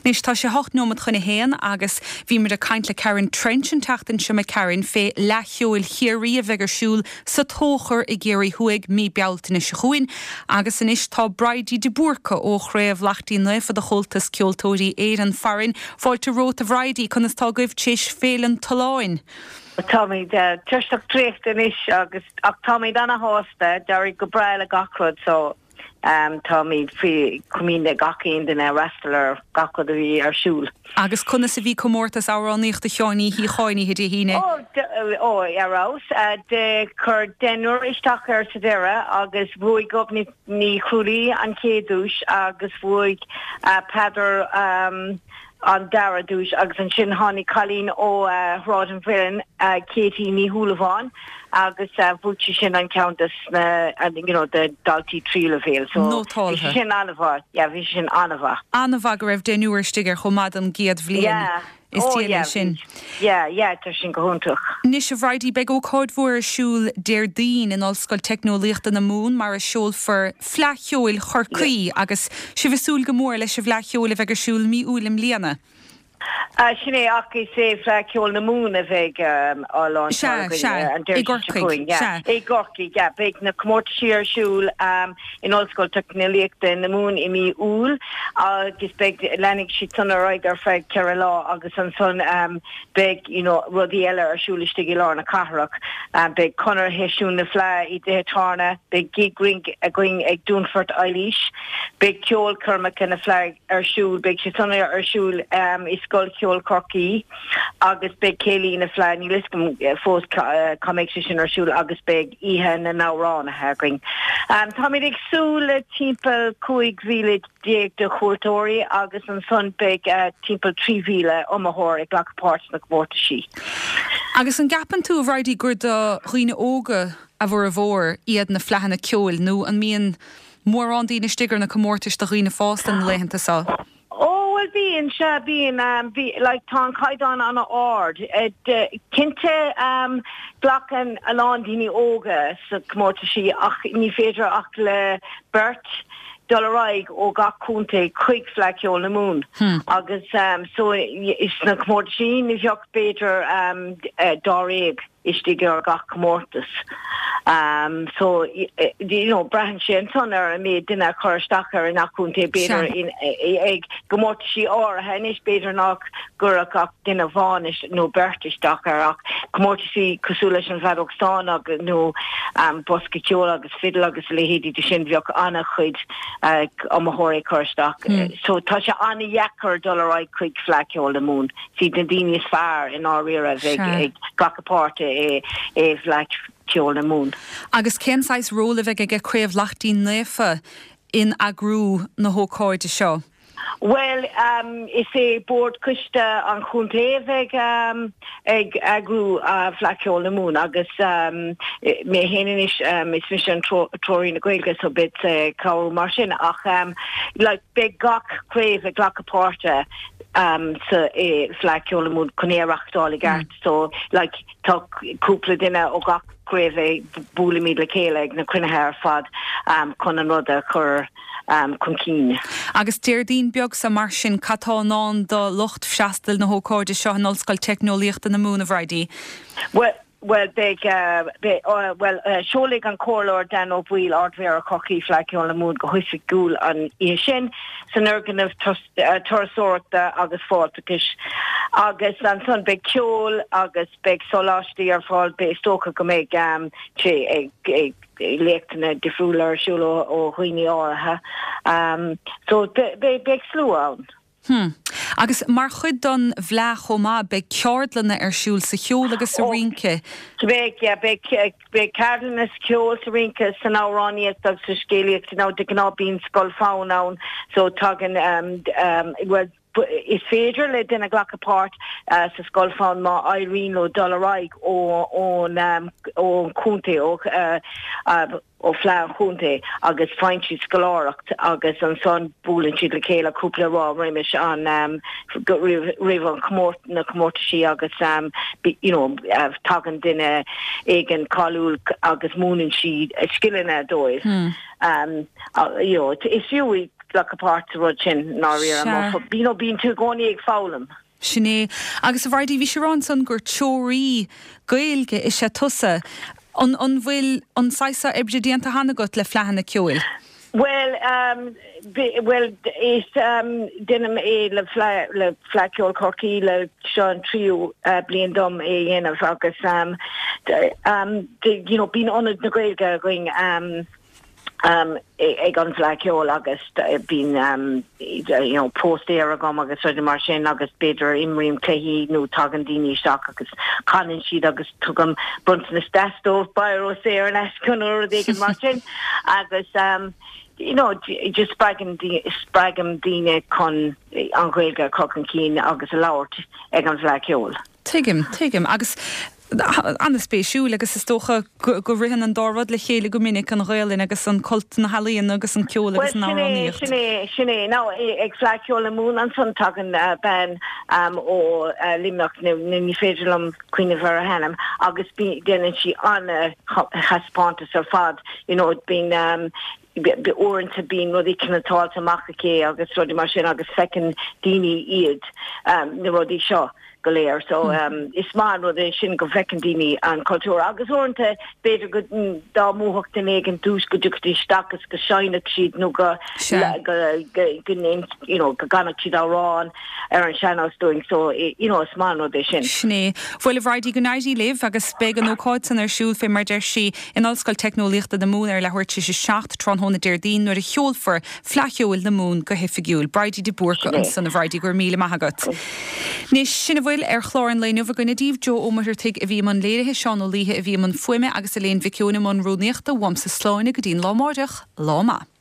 Anois tá sé hocht nóiméad chun a haon agus bhíomar ag caint le Karen Trench an tseachtain seo imigh tharainn fé Fhleadh Cheoil Chiarraí a bheidh ar siúl sa Tóchar i gCiarraí Thuaidh mí Bealtaine seo chugainn agus anois tá Bridie de Búrca ó Chraobh Laichtín Naofa de Chomhaltas Ceoltóirí Éireann farainn fáilte romhat a Bhridie conas tá agaibh tar éis Féile an Tolláin. Táimid uh, tuirseach traochta anois agus ach táimid ana-shásta d'éirigh go breá le gach rud so um, táimid faoi chomaoin gach aon duine a fhreastail ar gach rud a bhí ar siúl. Agus conas a bhí comórtas amhránaíochta Sheáin Uí Shíocháin oíche Dé hAoine. Ó ar fheabhas de chuir deichniúr isteach air sa deireadh agus bhuaigh Gobnait Ní Chrualaoi an chéad duais agus bhuaigh uh, Peadar um, an dara duais agus ansin tháinig cailín ó uh, Shráid an Mhuilinn uh, Katie Ní Shúilleabháin agus uh, bhuaigh sí sin an ceann des na uh, you know, de daltaí tríú leibhéal so Nótáltha. bhí sin an-mhaith yeah, bhí sin an-mhaith. An-mhaith go raibh deichniúr istigh air chomh maith an gcéad bhliain. Yeah. Is Oh, diail yeah, sin. Yeah, yeah, tá sin go hiontach. Anois a Bhridie beidh ócáid mhór ar siúl Déardaoin in Ollscoil Teicneolaíochta na Mumhan mar a seolfar Fleadh Cheoil Chorcaí agus sibh ag súil go mór leis an bhFleadh Cheoil a bheidh ar siúl mí Iúil i mbliana. Uh, sin é ach is é Fleadh Cheoil na Mumhan a bheidh um, á Sea, sea, i gCorcaigh, sea. I gCorcaigh, yeah, beidh na comórtaisí ar siúl um, in Ollscoil Teicneolaíochta na Mumhan i mí Iúil agus beidh leanfaidh siad san ar aghaidh ar feadh ceithre lá agus ansan um, beidh you know, rudaí eile ar siúl istigh i lár na cathrach. Um, beidh conair sheisiún na Fleadh i dtithe tábhairne, beidh gig rince againn ag Dúnfort Eilís, beidh ceolchoirmeacha na Fleadh ar siúl, beidh sé san ar siúl um, i Scoil Cheoil Chorcaí agus beidh céilí na Fleadh níl a fhios agam eh, fós cá cá mbeidh sé sin ar siúl agus beidh oíche na n-amhránaithe againn. Um, Táimid ag súil le timpeall cúig mhíle déag de chuairteoirí agus ansan beidh uh, timpeall trí mhíle iomaitheoir ag glacadh páirt sna comórtaisí. Agus an gceapann tú a Bhridie gur do dhaoine óga a bhformhór iad na fleadhanna ceoil nó an mbíonn mórán daoine istigh ar na comórtais do dhaoine fásta na laethanta seo. Ó well bíonn sé bíonn um, bhí like tá an caighdeán an-ard. Cinnte um, glacann a lán daoine óga sa comórtaisí ach ní féidir ach le beirt dul ar aghaidh ó gach contae chuig Fleadh Cheoil na Mumhan. Hmm. agus um, so is na comórtaisí ní bheadh b'fhéidir um, uh, dáréag istigh ar gach comórtas. Um, so you know, braitheann sé ansan ar an méid duine a chur isteach ar an contae b'fhéidir ag comórtaisí áirithe anois b'fhéidir nach gcuirfeadh ach duine amháin nó beirt isteach ar ach comórtaisí cosúil leis an bhfeadóg stáin agus nó um, bosca ceoil agus fidil agus leithéidí de sin bheadh an-chuid uh, iomaitheoirí chur isteach. Hmm. So tá sé an-dheacair dul ar aghaidh chuig Fleadh Cheoil na Mumhan. Is iad na daoine is fearr in áirithe bheidh ag glacadh páirte i i bhFleadh Cheoil na Mumhan. Agus cén saghas ról a bheidh aige Craobh Laichtín Naofa in eagrú na hócáide seo? Well, um, is é Bord Coiste an chontae a bheidh um, ag eagrú uh, Fleadh Cheoil na Mumhan agus um, mé féin anois um, is mise an treoraí na Gaeilge so beidh uh, cabhrú mar sin ach um, like, beidh gach craobh ag glacadh páirte um, sa i Fleadh Cheoil na Mumhan chun é a reáchtáil i gceart mm. so like, tá cúpla duine ó gach craobh buailimid le chéile ag na cruinnithe ar fad um, chun an rud a chur um, chun cinn. Agus Déardaoin beag sa mar sin cad tá i ndán do lucht freastail na hócáide seo in Ollscoil Teicneolaíochta na Mumhan a Bhridie. Well, Bhuel, beidh, beidh, bhuel, seolfaidh an Comhairleoir Dan Ó Baoill, Ardmhéara Chorcaí, Fleadh Cheoil na Mumhan go hoifigiúil an oíche sin san fhoirgneamh turasóireachta agus fáilteachais. Agus ansan beidh ceol agus beidh sóláistí ar fáil, beidh, is dócha go mbeidh sé ag, ag léachtanna difriúla ar siúl ó dhaoine áirithe. So beidh, beidh slua ann. Hmm. Agus mar chuid don bhFleadh chomh maith, beidh ceardlanna ar siúl sa cheol agus sa rince. Beidh, yeah, beidh, beidh ceardlanna sa cheol, sa rince, san amhránaíocht agus sa scéalaíocht. Now, de ghnáth bíonn scoil fonn ann, so tagann, bhuel, is féidir le duine glacadh páirt sa scoil fonn má éiríonn leo dul ar aghaidh ón, ón chontae, ó, ó Fleadh an Chontae agus faigheann siad scoláireacht agus ansan buaileann siad le chéile cúpla lá roimis an roimh an chomórt na comórtaisí agus you know tagann duine éigin cáiliúil agus múineann siad scileanna dóibh. You know is fiú glacadh páirt sa rud sin i ndáiríre you know bíonn tú i gcónaí ag foghlaim. Sin é. Agus a Bhridie, bhís ag rá ansan gur treoraí Gaeilge is ea tusa. An an bhfuil an saghas seo oibre déanta cheana agat le fleadhanna ceoil? Bhuel, bhuel, is déanaim é le Fleadh le Fleadh Cheoil Chorcaí le seo an tríú bliain dom é a dhéanamh agus you know bíonn Ionad na Gaeilge againn ag an bhFleadh Cheoil agus bíonn you know póstaer agam agus rudaí mar sin agus b'fhéidir imrím cluichí nó tagann daoine isteach agus canann siad agus tugaim bronntanas deas dóibh, biro saor in aisce nó rud éigin mar sin agus you know just spreagann spreagaim daoine chun an Ghaeilge a chur chun cinn agus a labhairt ag an bhFleadh Cheoil. Tuigim, tuigim. Agus an-spéisiúil agus is dócha go ritheann an dá rud le chéile go minic, an Ghaelainn agus an cult na healaíona agus an ceol agus an amhránaíocht. Sin é, sin é. Now, ag Fleadh Cheoil na Mumhan ansan tagann bean ó Luimneach, ní féidir liom cuimhneamh ar a hainm, agus déanann sí an-thaispeántas ar fad, you know, bíonn uaireanta bíonn rudaí cniotáilte amach aici agus rudaí mar sin agus feiceann daoine iad, na rudaí seo. go léir. So is maith an rud é sin go bhfeiceann daoine an cultúr agus uaireanta b'fhéidir go dá mbuafadh duine éigin duais go dtiocfaidís isteach agus go seinnfeadh siad nó go go go you know go gcanfadh siad amhrán ar an sean-nós dúinn so you know is maith an rud é sin. Sin é. Bhuel a Bhridie go n-éirí libh agus beidh an ócáid san ar siúl fé mar deir sí in Ollscoil Teicneolaíochta na Mumhan ar leathuair tar éis a seacht tráthnóna Déardaoin nuair a sheolfar Fleadh Cheoil na Mumhan go hoifigiúil. Bridie de Búrca ansan a Bhridie, go raibh míle maith agat. Anois, sin a bhfuil ar chlár an lae inniu againne daoibh. Joe Ó Muircheartaigh a bhí i mbun léirithe, Seán Ó Laoithe a bhí i mbun fuaime agus Elaine Mhic Eoin i mbun rúnaíochta. Uaimse slán go dtí'n lá amáireach. Lá maith.